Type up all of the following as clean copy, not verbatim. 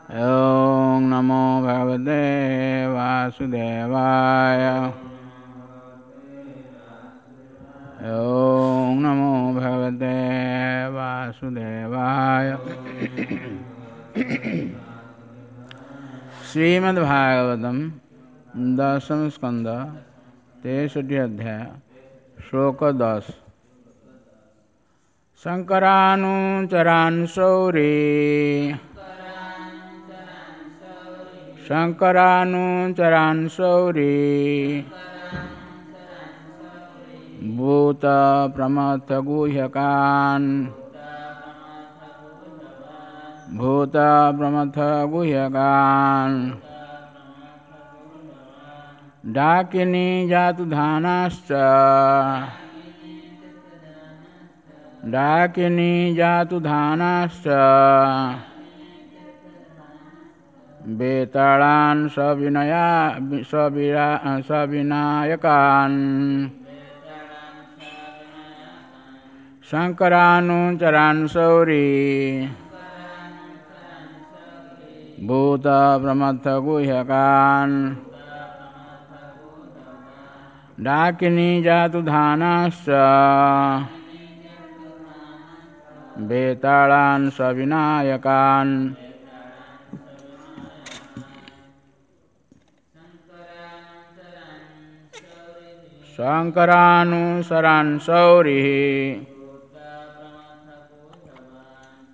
ଓଁ ନମୋ ଭଗବତେ ବାସୁଦେବାୟ। ଓଁ ନମୋ ଭଗବତେ ବାସୁଦେବାୟ। ଶ୍ରୀମଦ୍ ଭାଗବତମ୍ ଦଶମ ସ୍କନ୍ଦ 63 ଅଧ୍ୟାୟ ଶ୍ଲୋକ 10। ଶଙ୍କରାନୁଚରାନ୍ ସୌରୀ, ଶଙ୍କରାନୁଚରାନ୍ ସୌରୀ ଭୂତ ପ୍ରମଥ ଗୁହ୍ୟକାନ୍, ଭୂତ ପ୍ରମଥ ଗୁହ୍ୟକାନ୍ ଡାକିନୀ ଜାତୁଧାନାଶ୍ଚ, ଡାକିନୀ ଜାତୁଧାନାଶ୍ଚ ବେତାଳାନ୍ ସବିନୟା ସବିନାୟକାନ୍। ଶଙ୍କରାନୁଚରାନ୍ ସୌରୀ ଭୂତ ପ୍ରମଥ ଗୁହ୍ୟକାନ୍ ଡାକିନୀ ଜାତୁଧାନାଶ୍ଚ ବେତାଳାନ୍ ସବିନାୟକାନ୍। ଶଙ୍କରାନୁସରାନ୍ ସୌରୀ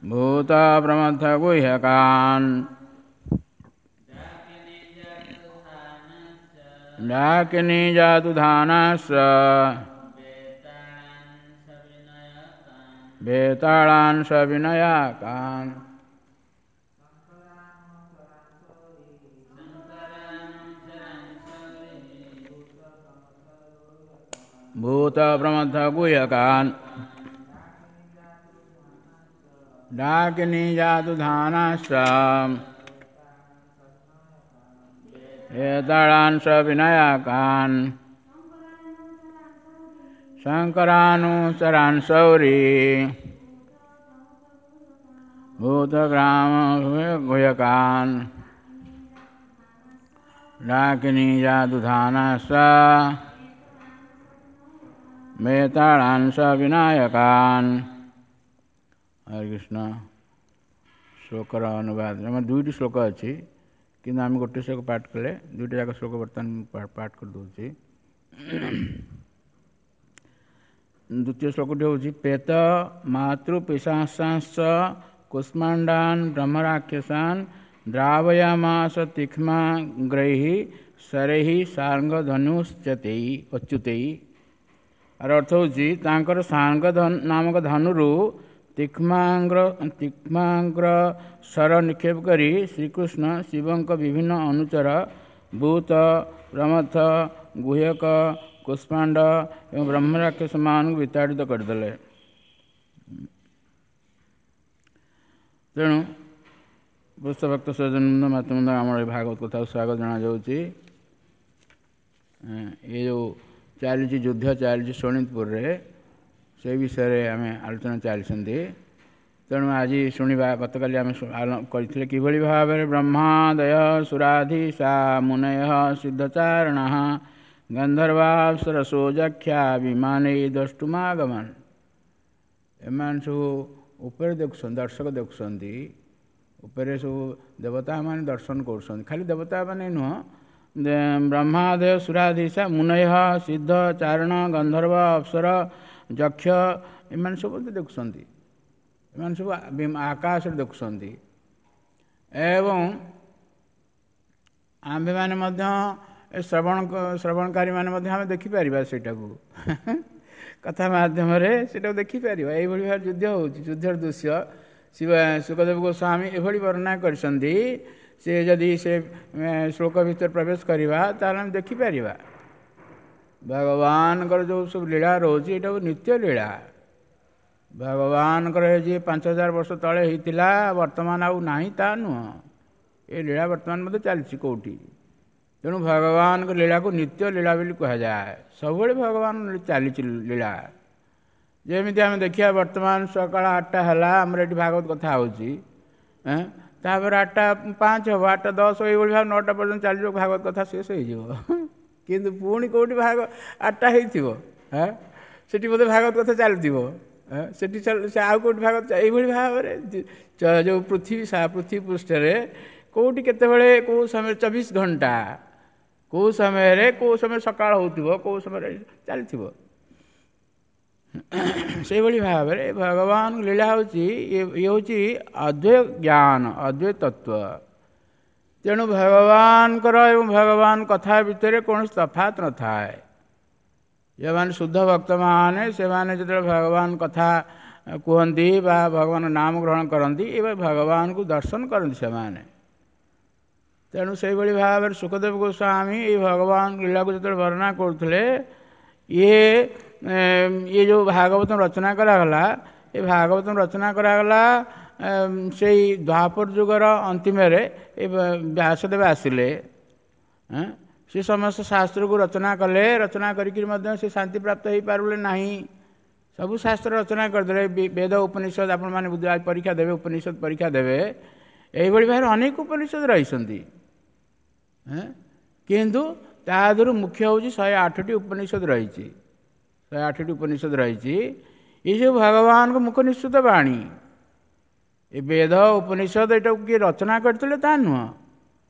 ଭୂତ ପ୍ରମଥ ଗୁହ୍ୟକାନ୍ ଡାକିନୀ ଜାତୁଧାନାଶ୍ଚ ବେତାଳାନ୍ ସବିନୟାକାନ୍। ଭୂତ ପ୍ରମଥ ଗୁହ୍ୟକାନ୍ ଡାକିନୀ ଜାତୁଧାନାଶ୍ଚ ବେତାଳାନ୍ ସବିନୟାକାନ୍। ଶଙ୍କରାନୁଚରାନ୍ ସୌରୀ ଭୂତଗ୍ରାମ ଗୁହ୍ୟକାନ୍ ଡାକିନୀ ଜାତୁଧାନାଶ୍ଚ ବେତାଳାନ୍ ସବିନାୟକାନ୍। ହରେ କୃଷ୍ଣ। ଶ୍ଲୋକର ଅନୁବାଦ, ଆମର 2ଟି ଶ୍ଲୋକ ଅଛି, କିନ୍ତୁ ଆମେ ଗୋଟେ ଶ୍ଲୋକ ପାଠ କଲେ, 2ଟି ଯାକ ଶ୍ଲୋକ ବର୍ତ୍ତମାନ ପାଠ କରିଦେଉଛି। ଦ୍ୱିତୀୟ ଶ୍ଲୋକଟି ହେଉଛି ପେତ ମାତୃ ପିଶାସାଂଶ୍ଚ କୁଷ୍ମାଣ୍ଡାନ୍ ବ୍ରହ୍ମରାକ୍ଷସାନ୍ ଦ୍ରାବୟାମାସ ତୀକ୍ଷ୍ମାଗ୍ରୈः ଶରୈः ସାର୍ଙ୍ଗଧନୁଶ୍ଚତେଇ ଅଚ୍ୟୁତେଇ। ଆର ଅର୍ଥ ହେଉଛି ତାଙ୍କର ସାର୍ଙ୍ଗ ନାମକ ଧନୁରୁ ତୀକ୍ଷ୍ମାଗ୍ର ଶର ନିକ୍ଷେପ କରି ଶ୍ରୀକୃଷ୍ଣ ଶିବଙ୍କ ବିଭିନ୍ନ ଅନୁଚର ଭୂତ, ପ୍ରମଥ, ଗୁହ୍ୟକ, କୁଷ୍ମାଣ୍ଡ ଏବଂ ବ୍ରହ୍ମରାକ୍ଷସମାନଙ୍କୁ ବିତାଡ଼ିତ କରିଦେଲେ। ତେଣୁ ଭକ୍ତ ସଜ୍ଜନ ମାତୃବୃନ୍ଦ, ଆମର ଏ ଭାଗବତ କଥାକୁ ସ୍ୱାଗତ ଜଣାଯାଉଛି। ଏ ଯେଉଁ ଚାଲିଛି ଯୁଦ୍ଧ ଚାଲିଛି ଶୋଣିତପୁରରେ, ସେ ବିଷୟରେ ଆମେ ଆଲୋଚନା ଚାଲିଛନ୍ତି। ତେଣୁ ଆଜି ଶୁଣିବା, ଗତକାଲି ଆମେ କରିଥିଲେ କିଭଳି ଭାବରେ ବ୍ରହ୍ମାଦୟ ସୁରାଧୀଶା ମୁନୟ ସିଦ୍ଧଚାରଣ ଗନ୍ଧର୍ବାପ୍ସରସୋ ଯକ୍ଷା ବିମାନେ ଦ୍ରଷ୍ଟୁମାଗମନ। ଏମାନେ ସବୁ ଉପରେ ଦେଖୁଛନ୍ତି, ଦର୍ଶକ ଦେଖୁଛନ୍ତି, ଉପରେ ସବୁ ଦେବତାମାନେ ଦର୍ଶନ କରୁଛନ୍ତି। ଖାଲି ଦେବତାମାନେ ନୁହଁ, ବ୍ରହ୍ମାଦୟ ସୁରାଧୀଶା ମୁନୟ ସିଦ୍ଧ ଚାରଣ ଗନ୍ଧର୍ବ ଅପ୍ସର ଯକ୍ଷ ଏମାନେ ସବୁ ଦେଖୁଛନ୍ତି, ଏମାନେ ସବୁ ଆକାଶରେ ଦେଖୁଛନ୍ତି। ଏବଂ ଆମ୍ଭେମାନେ ମଧ୍ୟ ଏ ଶ୍ରବଣକାରୀମାନେ ମଧ୍ୟ ଆମେ ଦେଖିପାରିବା, ସେଇଟାକୁ କଥା ମାଧ୍ୟମରେ ସେଇଟାକୁ ଦେଖିପାରିବା। ଏଇଭଳି ଭାବରେ ଯୁଦ୍ଧ ହେଉଛି, ଯୁଦ୍ଧର ଦୃଶ୍ୟ ଶିବ ଶୁକଦେବ ଗୋସ୍ୱାମୀ ଏଭଳି ବର୍ଣ୍ଣନା କରିଛନ୍ତି। ସେ ଯଦି ସେ ଶ୍ଲୋକ ଭିତରେ ପ୍ରବେଶ କରିବା ତାହେଲେ ଆମେ ଦେଖିପାରିବା ଭଗବାନଙ୍କର ଯେଉଁ ସବୁ ଲୀଳା ରହୁଛି, ଏଇଟା ନିତ୍ୟ ଲୀଳା। ଭଗବାନଙ୍କର ଏ ଯିଏ 5000 ବର୍ଷ ତଳେ ହେଇଥିଲା ବର୍ତ୍ତମାନ ଆଉ ନାହିଁ ତା ନୁହଁ, ଏ ଲୀଳା ବର୍ତ୍ତମାନ ମଧ୍ୟ ଚାଲିଛି କେଉଁଠି। ତେଣୁ ଭଗବାନଙ୍କ ଲୀଳାକୁ ନିତ୍ୟ ଲୀଳା ବୋଲି କୁହାଯାଏ। ସବୁବେଳେ ଭଗବାନ ଚାଲିଛି ଲୀଳା। ଯେମିତି ଆମେ ଦେଖିବା ବର୍ତ୍ତମାନ ସକାଳ 8ଟା ହେଲା, ଆମର ଏଠି ଭାଗବତ କଥା ହେଉଛି। ତାପରେ 8:05 ହେବ, 8:10, ଏଇଭଳି ଭାବେ 9ଟା ପର୍ଯ୍ୟନ୍ତ ଚାଲିଯିବ, ଭାଗବତ କଥା ଶେଷ ହେଇଯିବ। କିନ୍ତୁ ପୁଣି କେଉଁଠି ଭାଗ 8ଟା ହେଇଥିବ, ହଁ ସେଠି ବୋଧେ ଭାଗବତ କଥା ଚାଲିଥିବ, ସେଠି ସେ ଆଉ କେଉଁଠି ଭାଗବତ। ଏଇଭଳି ଭାବରେ ଯେଉଁ ପୃଥିବୀ ପୃଥିବୀ ପୃଷ୍ଠରେ କେଉଁଠି କେତେବେଳେ କେଉଁ ସମୟରେ 24 ଘଣ୍ଟା କେଉଁ ସମୟରେ କେଉଁ ସମୟରେ ସକାଳ ହେଉଥିବ, କେଉଁ ସମୟରେ ଚାଲିଥିବ। ସେଇଭଳି ଭାବରେ ଭଗବାନ ଲୀଳା ହେଉଛି ଇଏ ହେଉଛି ଅଦ୍ୱୈତ ଜ୍ଞାନ, ଅଦ୍ୱୈତ ତତ୍ତ୍ୱ। ତେଣୁ ଭଗବାନଙ୍କର ଏବଂ ଭଗବାନ କଥା ଭିତରେ କୌଣସି ତଫାତ ନଥାଏ। ଯେଉଁମାନେ ଶୁଦ୍ଧ ଭକ୍ତମାନେ ସେମାନେ ଯେତେବେଳେ ଭଗବାନ କଥା କୁହନ୍ତି ବା ଭଗବାନ ନାମ ଗ୍ରହଣ କରନ୍ତି, ଏବେ ଭଗବାନଙ୍କୁ ଦର୍ଶନ କରନ୍ତି ସେମାନେ। ତେଣୁ ସେଇଭଳି ଭାବରେ ଶୁକଦେବ ଗୋସ୍ୱାମୀ ଏଇ ଭଗବାନ ଲୀଳାକୁ ଯେତେବେଳେ ବର୍ଣ୍ଣନା କରୁଥିଲେ, ଇଏ ଯେଉଁ ଭାଗବତ ରଚନା କରାଗଲା, ଏ ଭାଗବତ ରଚନା କରାଗଲା ସେଇ ଦ୍ୱାପର ଯୁଗର ଅନ୍ତିମରେ ଏ ବ୍ୟାସଦେବ ଆସିଲେ। ସେ ସମସ୍ତ ଶାସ୍ତ୍ରକୁ ରଚନା କଲେ। ରଚନା କରିକିରି ମଧ୍ୟ ସେ ଶାନ୍ତି ପ୍ରାପ୍ତ ହେଇପାରିଲେ ନାହିଁ। ସବୁ ଶାସ୍ତ୍ର ରଚନା କରିଦେଲେ, ବେଦ ଉପନିଷଦ, ଆପଣମାନେ ପରୀକ୍ଷା ଦେବେ, ଉପନିଷଦ ପରୀକ୍ଷା ଦେବେ, ଏଇଭଳି ଭାବରେ ଅନେକ ଉପନିଷଦ ରହିଛନ୍ତି, କିନ୍ତୁ ତା ଦେହରୁ ମୁଖ୍ୟ ହେଉଛି 108ଟି ଉପନିଷଦ ରହିଛି। 108ଟି ଉପନିଷଦ ରହିଛି। ଏସବୁ ଭଗବାନଙ୍କ ମୁଖ ନିଃସୃତ ବାଣୀ। ଏ ବେଦ ଉପନିଷଦ ଏଟାକୁ କିଏ ରଚନା କରିଥିଲେ ତା ନୁହଁ,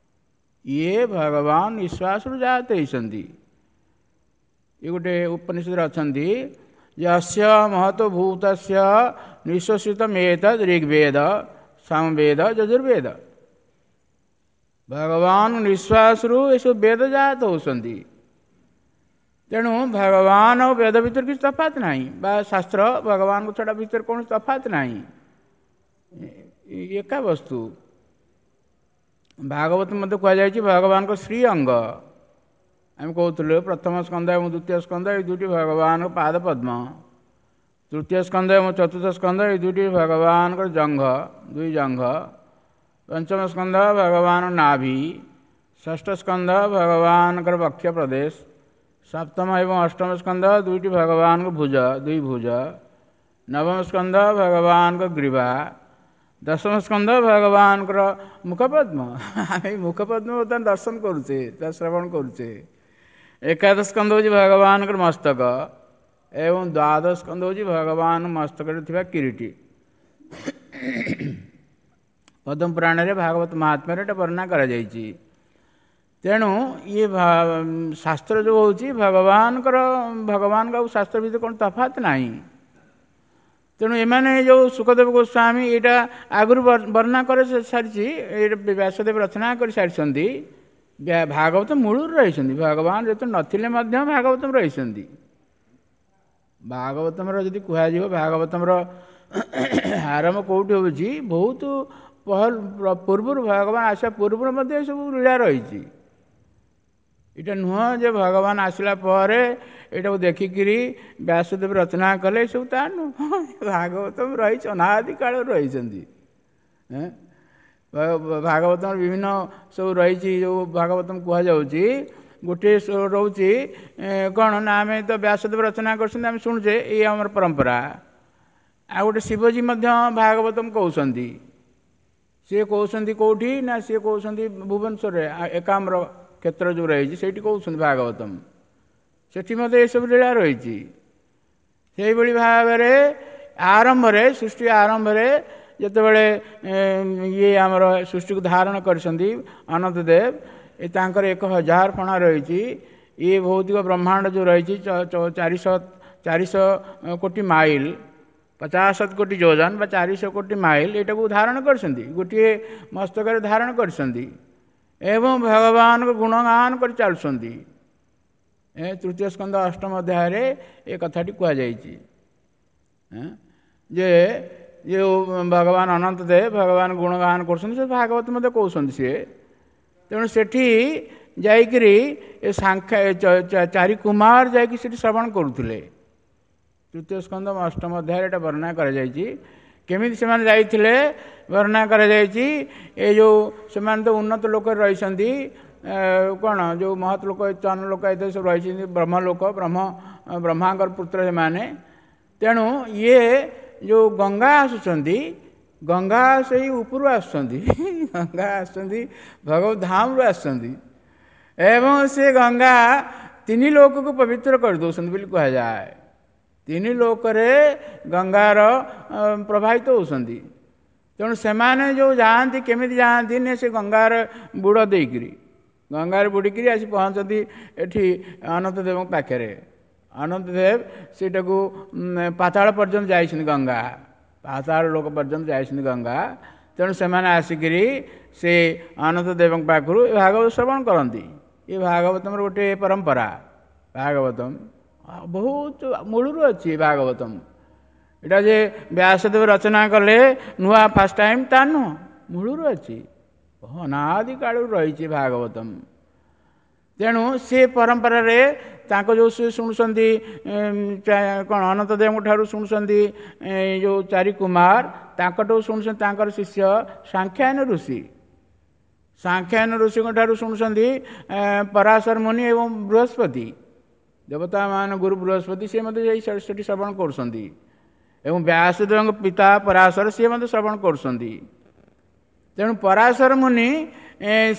ଇଏ ଭଗବାନ ନିଶ୍ୱାସରୁ ଜାତ ହେଇଛନ୍ତି। ଇଏ ଗୋଟେ ଉପନିଷଦରେ ଅଛନ୍ତି, ଯସ୍ୟ ମହତ ଭୂତସ୍ୟ ନିଃଶ୍ୱସିତ ମେତଦ୍ ଋଗ୍ବେଦ ସାମବେଦ ଯଜୁର୍ବେଦ। ଭଗବାନ ନିଶ୍ୱାସରୁ ଏସବୁ ବେଦ ଜାତ ହେଉଛନ୍ତି। ତେଣୁ ଭଗବାନ ଆଉ ବେଦ ଭିତରେ କିଛି ତଫାତ ନାହିଁ, ବା ଶାସ୍ତ୍ର ଭଗବାନଙ୍କ ଛଡ଼ା ଭିତରେ କୌଣସି ତଫାତ ନାହିଁ, ଏକା ବସ୍ତୁ। ଭାଗବତ ମଧ୍ୟ କୁହାଯାଇଛି ଭଗବାନଙ୍କ ଶ୍ରୀ ଅଙ୍ଗ। ଆମେ କହୁଥିଲୁ ପ୍ରଥମ ସ୍କନ୍ଦ ଏବଂ ଦ୍ୱିତୀୟ ସ୍କନ୍ଦ ଏଇ ଦୁଇଟି ଭଗବାନଙ୍କ ପାଦ ପଦ୍ମ, ତୃତୀୟ ସ୍କନ୍ଦ ଏବଂ ଚତୁର୍ଥ ସ୍କନ୍ଦ ଏଇ ଦୁଇଟି ଭଗବାନଙ୍କର ଜଙ୍ଘ, ଦୁଇ ଜଙ୍ଘ, ପଞ୍ଚମ ସ୍କନ୍ଦ ଭଗବାନ ନାଭି, ଷଷ୍ଠ ସ୍କନ୍ଦ ଭଗବାନଙ୍କର ବକ୍ଷ ପ୍ରଦେଶ, ସପ୍ତମ ଏବଂ ଅଷ୍ଟମ ସ୍କନ୍ଦ ଦୁଇଟି ଭଗବାନଙ୍କ ଭୁଜ, ଦୁଇ ଭୁଜ, ନବମ ସ୍କନ୍ଦ ଭଗବାନଙ୍କ ଗ୍ରୀବା, ଦଶମ ସ୍କନ୍ଦ ଭଗବାନଙ୍କର ମୁଖପଦ୍ମ। ଆମେ ମୁଖପଦ୍ମ ବର୍ତ୍ତମାନ ଦର୍ଶନ କରୁଛେ, ତା ଶ୍ରବଣ କରୁଛେ। ଏକାଦଶ ସ୍କନ୍ଦ ହେଉଛି ଭଗବାନଙ୍କର ମସ୍ତକ ଏବଂ ଦ୍ୱାଦଶ ସ୍କନ୍ଦ ହେଉଛି ଭଗବାନ ମସ୍ତକରେ ଥିବା କିରୀଟି। ପଦ୍ମପୁରାଣରେ ଭାଗବତ ମହାତ୍ମ୍ୟରେ ଏଟା ବର୍ଣ୍ଣନା କରାଯାଇଛି। ତେଣୁ ଇଏ ଶାସ୍ତ୍ର ଯେଉଁ ହେଉଛି ଭଗବାନଙ୍କର, ଭଗବାନଙ୍କ ଆଉ ଶାସ୍ତ୍ର ଭିତରେ କ'ଣ ତଫାତ ନାହିଁ। ତେଣୁ ଏମାନେ ଯେଉଁ ଶୁକଦେବ ଗୋସ୍ୱାମୀ ଏଇଟା ଆଗରୁ ବର୍ଣ୍ଣନା କରି ସାରିଛି, ଏଇଟା ବ୍ୟାସଦେବ ରଚନା କରିସାରିଛନ୍ତି। ଭାଗବତ ମୂଳରୁ ରହିଛନ୍ତି, ଭଗବାନ ଯେତେ ନଥିଲେ ମଧ୍ୟ ଭାଗବତମ ରହିଛନ୍ତି। ଭାଗବତମର ଯଦି କୁହାଯିବ, ଭାଗବତମର ଆରମ୍ଭ କେଉଁଠି ହେଉଛି, ବହୁତ ପୂର୍ବରୁ, ଭଗବାନ ଆସିବା ପୂର୍ବରୁ ମଧ୍ୟ ଏସବୁ ଲୀଳା ରହିଛି। ଏଇଟା ନୁହଁ ଯେ ଭଗବାନ ଆସିଲା ପରେ ଏଇଟାକୁ ଦେଖିକିରି ବ୍ୟାସଦେବ ରଚନା କଲେ, ଏସବୁ ତା ନୁହଁ। ଭାଗବତମ ରହିଛି ଅନାଦି କାଳରୁ ରହିଛନ୍ତି। ଭାଗବତମର ବିଭିନ୍ନ ସବୁ ରହିଛି, ଯେଉଁ ଭାଗବତମ କୁହାଯାଉଛି ଗୋଟିଏ ରହୁଛି କ'ଣ ନା ଆମେ ତ ବ୍ୟାସଦେବ ରଚନା କରୁଛନ୍ତି, ଆମେ ଶୁଣୁଛେ, ଏଇ ଆମର ପରମ୍ପରା। ଆଉ ଗୋଟେ ଶିବଜୀ ମଧ୍ୟ ଭାଗବତମ କହୁଛନ୍ତି। ସିଏ କହୁଛନ୍ତି କେଉଁଠି ନା ସିଏ କହୁଛନ୍ତି ଭୁବନେଶ୍ୱରରେ ଏକାମ୍ର କ୍ଷେତ୍ର ଯେଉଁ ରହିଛି ସେଇଠି କହୁଛନ୍ତି ଭାଗବତମ। ସେଠି ମଧ୍ୟ ଏସବୁ ଲୀଳା ରହିଛି। ସେଇଭଳି ଭାବରେ ଆରମ୍ଭରେ, ସୃଷ୍ଟି ଆରମ୍ଭରେ ଯେତେବେଳେ ଇଏ ଆମର ସୃଷ୍ଟିକୁ ଧାରଣ କରିଛନ୍ତି ଅନନ୍ତ ଦେବ, ଏ ତାଙ୍କର 1000 ଫଣା ରହିଛି। ଇଏ ଭୌତିକ ବ୍ରହ୍ମାଣ୍ଡ ଯେଉଁ ରହିଛି 400 କୋଟି ମାଇଲ, 50 କୋଟି ଯୋଜନ ବା 400 କୋଟି ମାଇଲ, ଏଇଟାକୁ ଧାରଣ କରିଛନ୍ତି, ଗୋଟିଏ ମସ୍ତକରେ ଧାରଣ କରିଛନ୍ତି ଏବଂ ଭଗବାନଙ୍କ ଗୁଣଗାନ କରି ଚାଲୁଛନ୍ତି। ତୃତୀୟ ସ୍କନ୍ଦ ଅଷ୍ଟମ ଅଧ୍ୟାୟରେ ଏ କଥାଟି କୁହାଯାଇଛି ଯେ ଯେଉଁ ଭଗବାନ ଅନନ୍ତ ଦେବ ଭଗବାନ ଗୁଣଗାନ କରୁଛନ୍ତି, ସେ ଭାଗବତ ମଧ୍ୟ କହୁଛନ୍ତି ସିଏ। ତେଣୁ ସେଠି ଯାଇକିରି ଏ ସାଂଖ୍ୟ ଚାରି କୁମାର ଯାଇକି ସେଠି ଶ୍ରବଣ କରୁଥିଲେ। ତୃତୀୟ ସ୍କନ୍ଦ ଅଷ୍ଟମ ଅଧ୍ୟାୟରେ ଏଇଟା ବର୍ଣ୍ଣନା କରାଯାଇଛି। କେମିତି ସେମାନେ ଯାଇଥିଲେ ବର୍ଣ୍ଣନା କରାଯାଇଛି। ଏ ଯେଉଁ ସେମାନେ ତ ଉନ୍ନତ ଲୋକରେ ରହିଛନ୍ତି, କ'ଣ ଯେଉଁ ମହତ ଲୋକ, ଚନ ଲୋକ, ଏତେ ସବୁ ରହିଛନ୍ତି, ବ୍ରହ୍ମ ଲୋକ, ବ୍ରହ୍ମାଙ୍କର ପୁତ୍ର ସେମାନେ। ତେଣୁ ଇଏ ଯେଉଁ ଗଙ୍ଗା ଆସୁଛନ୍ତି, ଗଙ୍ଗା ସେଇ ଉପରୁ ଆସୁଛନ୍ତି, ଗଙ୍ଗା ଆସୁଛନ୍ତି ଭଗବତ ଧାମରୁ ଆସୁଛନ୍ତି, ଏବଂ ସେ ଗଙ୍ଗା ତିନି ଲୋକକୁ ପବିତ୍ର କରିଦେଉଛନ୍ତି ବୋଲି କୁହାଯାଏ। ତିନି ଲୋକରେ ଗଙ୍ଗାର ପ୍ରବାହିତ ହେଉଛନ୍ତି। ତେଣୁ ସେମାନେ ଯେଉଁ ଯାଆନ୍ତି, କେମିତି ଯାଆନ୍ତି ନା ସେ ଗଙ୍ଗାର ବୁଡ଼ ଦେଇକିରି, ଗଙ୍ଗାରେ ବୁଡ଼ିକିରି ଆସି ପହଞ୍ଚନ୍ତି ଏଠି ଅନନ୍ତ ଦେବଙ୍କ ପାଖରେ। ଅନନ୍ତ ଦେବ ସେଇଟାକୁ ପାତାଳ ପର୍ଯ୍ୟନ୍ତ ଯାଇଛନ୍ତି, ଗଙ୍ଗା ପାତାଳ ଲୋକ ପର୍ଯ୍ୟନ୍ତ ଯାଇଛନ୍ତି ଗଙ୍ଗା। ତେଣୁ ସେମାନେ ଆସିକିରି ସେ ଅନନ୍ତ ଦେବଙ୍କ ପାଖରୁ ଏ ଭାଗବତ ଶ୍ରବଣ କରନ୍ତି। ଏ ଭାଗବତମର ଗୋଟେ ପରମ୍ପରା, ଭାଗବତମ ବହୁତ ମୂଳରୁ ଅଛି। ଭାଗବତମ ଏଇଟା ଯେ ବ୍ୟାସଦେବ ରଚନା କଲେ ନୂଆ ଫାଷ୍ଟ ଟାଇମ୍ ତା ନୁହଁ, ମୂଳରୁ ଅଛି, ଅନାଦି କାଳରୁ ରହିଛି ଭାଗବତମ। ତେଣୁ ସେ ପରମ୍ପରାରେ ତାଙ୍କ ଯେଉଁ ସେ ଶୁଣୁଛନ୍ତି କ'ଣ ଅନନ୍ତ ଦେବଙ୍କ ଠାରୁ ଶୁଣୁଛନ୍ତି ଯେଉଁ ଚାରି କୁମାର, ତାଙ୍କଠୁ ଶୁଣୁଛନ୍ତି ତାଙ୍କର ଶିଷ୍ୟ ସାଂଖ୍ୟାୟନ ଋଷି। ସାଂଖ୍ୟାୟନ ଋଷିଙ୍କ ଠାରୁ ଶୁଣୁଛନ୍ତି ପରାଶର ମୁନି ଏବଂ ବୃହସ୍ପତି, ଦେବତାମାନ ଗୁରୁ ବୃହସ୍ପତି, ସିଏ ମଧ୍ୟ ଯାଇ ସେଠି ଶ୍ରବଣ କରୁଛନ୍ତି। ଏବଂ ବ୍ୟାସଦେବଙ୍କ ପିତା ପରାଶର, ସିଏ ମଧ୍ୟ ଶ୍ରବଣ କରୁଛନ୍ତି। ତେଣୁ ପରାଶର ମୁନି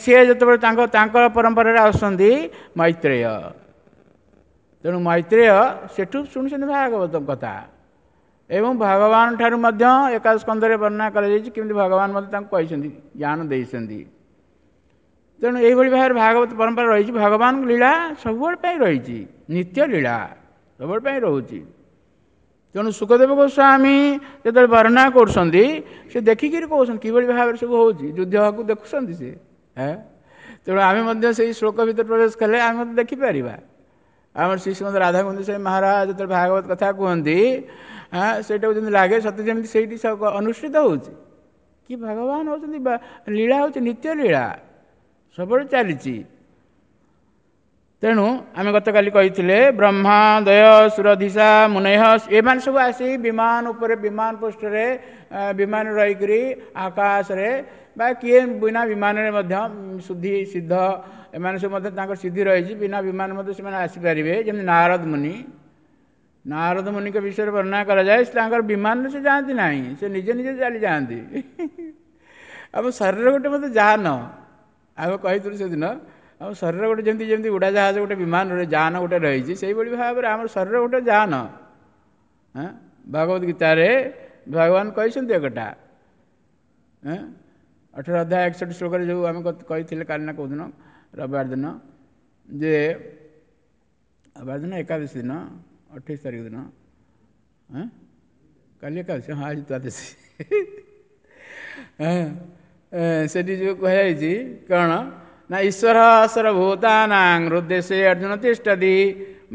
ସିଏ ଯେତେବେଳେ ତାଙ୍କ ପରମ୍ପରାରେ ଆସୁଛନ୍ତି ମୈତ୍ରେୟ, ତେଣୁ ମୈତ୍ରେୟ ସେଠୁ ଶୁଣୁଛନ୍ତି ଭାଗବତ କଥା। ଏବଂ ଭଗବାନ ଠାରୁ ମଧ୍ୟ ଏକାଦଶ ସ୍କନ୍ଧରେ ବର୍ଣ୍ଣନା କରାଯାଇଛି କେମିତି ଭଗବାନ ମଧ୍ୟ ତାଙ୍କୁ କହିଛନ୍ତି, ଜ୍ଞାନ ଦେଇଛନ୍ତି। ତେଣୁ ଏଇଭଳି ଭାବରେ ଭାଗବତ ପରମ୍ପରା ରହିଛି। ଭଗବାନଙ୍କ ଲୀଳା ସବୁବେଳେ ପାଇଁ ରହିଛି, ନିତ୍ୟ ଲୀଳା ସବୁବେଳେ ପାଇଁ ରହୁଛି। ତେଣୁ ଶୁକଦେବ ଗୋସ୍ୱାମୀ ଯେତେବେଳେ ବର୍ଣ୍ଣନା କରୁଛନ୍ତି, ସେ ଦେଖିକିରି କହୁଛନ୍ତି କିଭଳି ଭାବରେ ସବୁ ହେଉଛି, ଯୁଦ୍ଧକୁ ଦେଖୁଛନ୍ତି ସେ। ତେଣୁ ଆମେ ମଧ୍ୟ ସେଇ ଶ୍ଲୋକ ଭିତରେ ପ୍ରବେଶ କଲେ ଆମେ ମଧ୍ୟ ଦେଖିପାରିବା। ଆମର ଶ୍ରୀ ଶ୍ରୀମଦ ରାଧାଗୋବିନ୍ଦ ସ୍ୱାମୀ ମହାରାଜ ଯେତେବେଳେ ଭାଗବତ କଥା କୁହନ୍ତି, ସେଇଟାକୁ ଯେମିତି ଲାଗେ ସତେ ଯେମିତି ସେଇଠି ଅନୁଷ୍ଠିତ ହେଉଛି କି ଭଗବାନ ହେଉଛନ୍ତି, ଲୀଳା ହେଉଛି ନିତ୍ୟ ଲୀଳା ସବୁବେଳେ ଚାଲିଛି। ତେଣୁ ଆମେ ଗତକାଲି କହିଥିଲେ ବ୍ରହ୍ମା ଦୟ ସୁରଧିସା ମୁନୟ ଏମାନେ ସବୁ ଆସି ବିମାନ ଉପରେ, ବିମାନ ପୃଷ୍ଠରେ ବିମାନ ରହିକରି ଆକାଶରେ ବା କିଏ ବିନା ବିମାନରେ ମଧ୍ୟ ଶୁଦ୍ଧି ସିଦ୍ଧ ଏମାନେ ସବୁ ମଧ୍ୟ ତାଙ୍କର ସିଦ୍ଧି ରହିଛି, ବିନା ବିମାନ ମଧ୍ୟ ସେମାନେ ଆସିପାରିବେ। ଯେମିତି ନାରଦ ମୁନି, ନାରଦ ମୁନିଙ୍କ ବିଷୟରେ ବର୍ଣ୍ଣନା କରାଯାଏ, ତାଙ୍କର ବିମାନରେ ସେ ଯାଆନ୍ତି ନାହିଁ, ସେ ନିଜେ ନିଜେ ଚାଲି ଯାଆନ୍ତି। ଆମ ଶରୀର ଗୋଟେ ମଧ୍ୟ ଯାନ, ଆମେ କହିଥିଲୁ ସେଦିନ, ଆମ ଶରୀର ଗୋଟେ ଯେମିତି ଯେମିତି ଉଡ଼ାଜାହାଜ ଗୋଟେ ବିମାନରେ ଯାନ ଗୋଟେ ରହିଛି, ସେଇଭଳି ଭାବରେ ଆମର ଶରୀର ଗୋଟେ ଯାନ। ଭଗବତ ଗୀତାରେ ଭଗବାନ କହିଛନ୍ତି ଏକଟା, 18 ଅଧ୍ୟାୟ 61 ଶ୍ଲୋକରେ ଯେଉଁ ଆମେ କହିଥିଲେ କାଲି ନା କେଉଁଦିନ ରବିବାର ଦିନ, ଯେ ରବିବାର ଦିନ ଏକାଦଶୀ ଦିନ 28 ତାରିଖ ଦିନ, କାଲି ଏକାଦଶୀ, ହଁ ଆଜି ଦ୍ୱାଦଶୀ, ସେଠି ଯେଉଁ କୁହାଯାଇଛି କ'ଣ ନା ଈଶ୍ୱର ସର୍ବଭୂତାନାଂ ହୃଦ୍ଦେଶେ ଅର୍ଜୁନ ତିଷ୍ଠତି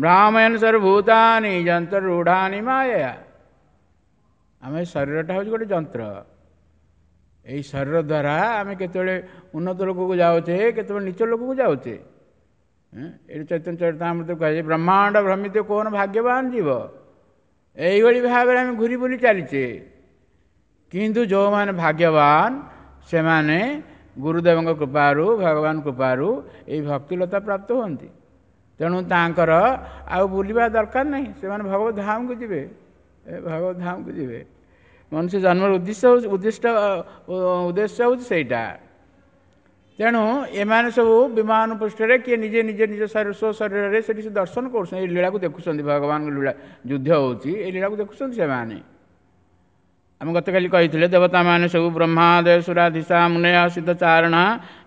ଭ୍ରାମୟନ୍ ସର୍ବଭୂତାନି ଯନ୍ତ୍ରରୂଢ଼ାନି ମାୟୟା। ଆମ ଶରୀରଟା ହେଉଛି ଗୋଟେ ଯନ୍ତ୍ର। ଏଇ ଶରୀର ଦ୍ୱାରା ଆମେ କେତେବେଳେ ଉନ୍ନତ ଲୋକକୁ ଯାଉଛେ, କେତେବେଳେ ନୀଚ ଲୋକକୁ ଯାଉଛେ। ଏଠି ଚୈତନ୍ୟ ଚରିତାମୃତ କୁହାଯାଏ ବ୍ରହ୍ମାଣ୍ଡ ଭ୍ରମିତ କୋନ ଭାଗ୍ୟବାନ ଜୀବ। ଏଇଭଳି ଭାବରେ ଆମେ ଘୁରି ବୁଲି ଚାଲିଛେ। କିନ୍ତୁ ଯେଉଁମାନେ ଭାଗ୍ୟବାନ ସେମାନେ ଗୁରୁଦେବଙ୍କ କୃପାରୁ, ଭଗବାନ କୃପାରୁ ଏଇ ଭକ୍ତିଲତା ପ୍ରାପ୍ତ ହୁଅନ୍ତି। ତେଣୁ ତାଙ୍କର ଆଉ ବୁଲିବା ଦରକାର ନାହିଁ, ସେମାନେ ଭଗବତ ଧାମକୁ ଯିବେ, ଭଗବତ ଧାମକୁ ଯିବେ। ମନୁଷ୍ୟ ଜନ୍ମର ଉଦ୍ଦେଶ୍ୟ ହେଉଛି ସେଇଟା। ତେଣୁ ଏମାନେ ସବୁ ବିମାନ ପୃଷ୍ଠରେ କିଏ ନିଜେ ନିଜେ ନିଜ ସ୍ୱଶରୀରରେ ସେଠି ସେ ଦର୍ଶନ କରୁଛନ୍ତି, ଏଇ ଲୀଳାକୁ ଦେଖୁଛନ୍ତି, ଭଗବାନଙ୍କ ଲୀଳା ଯୁଦ୍ଧ ହେଉଛି, ଏଇ ଲୀଳାକୁ ଦେଖୁଛନ୍ତି ସେମାନେ। ଆମେ ଗତକାଲି କହିଥିଲେ ଦେବତାମାନେ ସବୁ ବ୍ରହ୍ମା ଦେବ ସୁରାଧିସା ମୁନୟ ସିଦ୍ଧ ଚାରଣା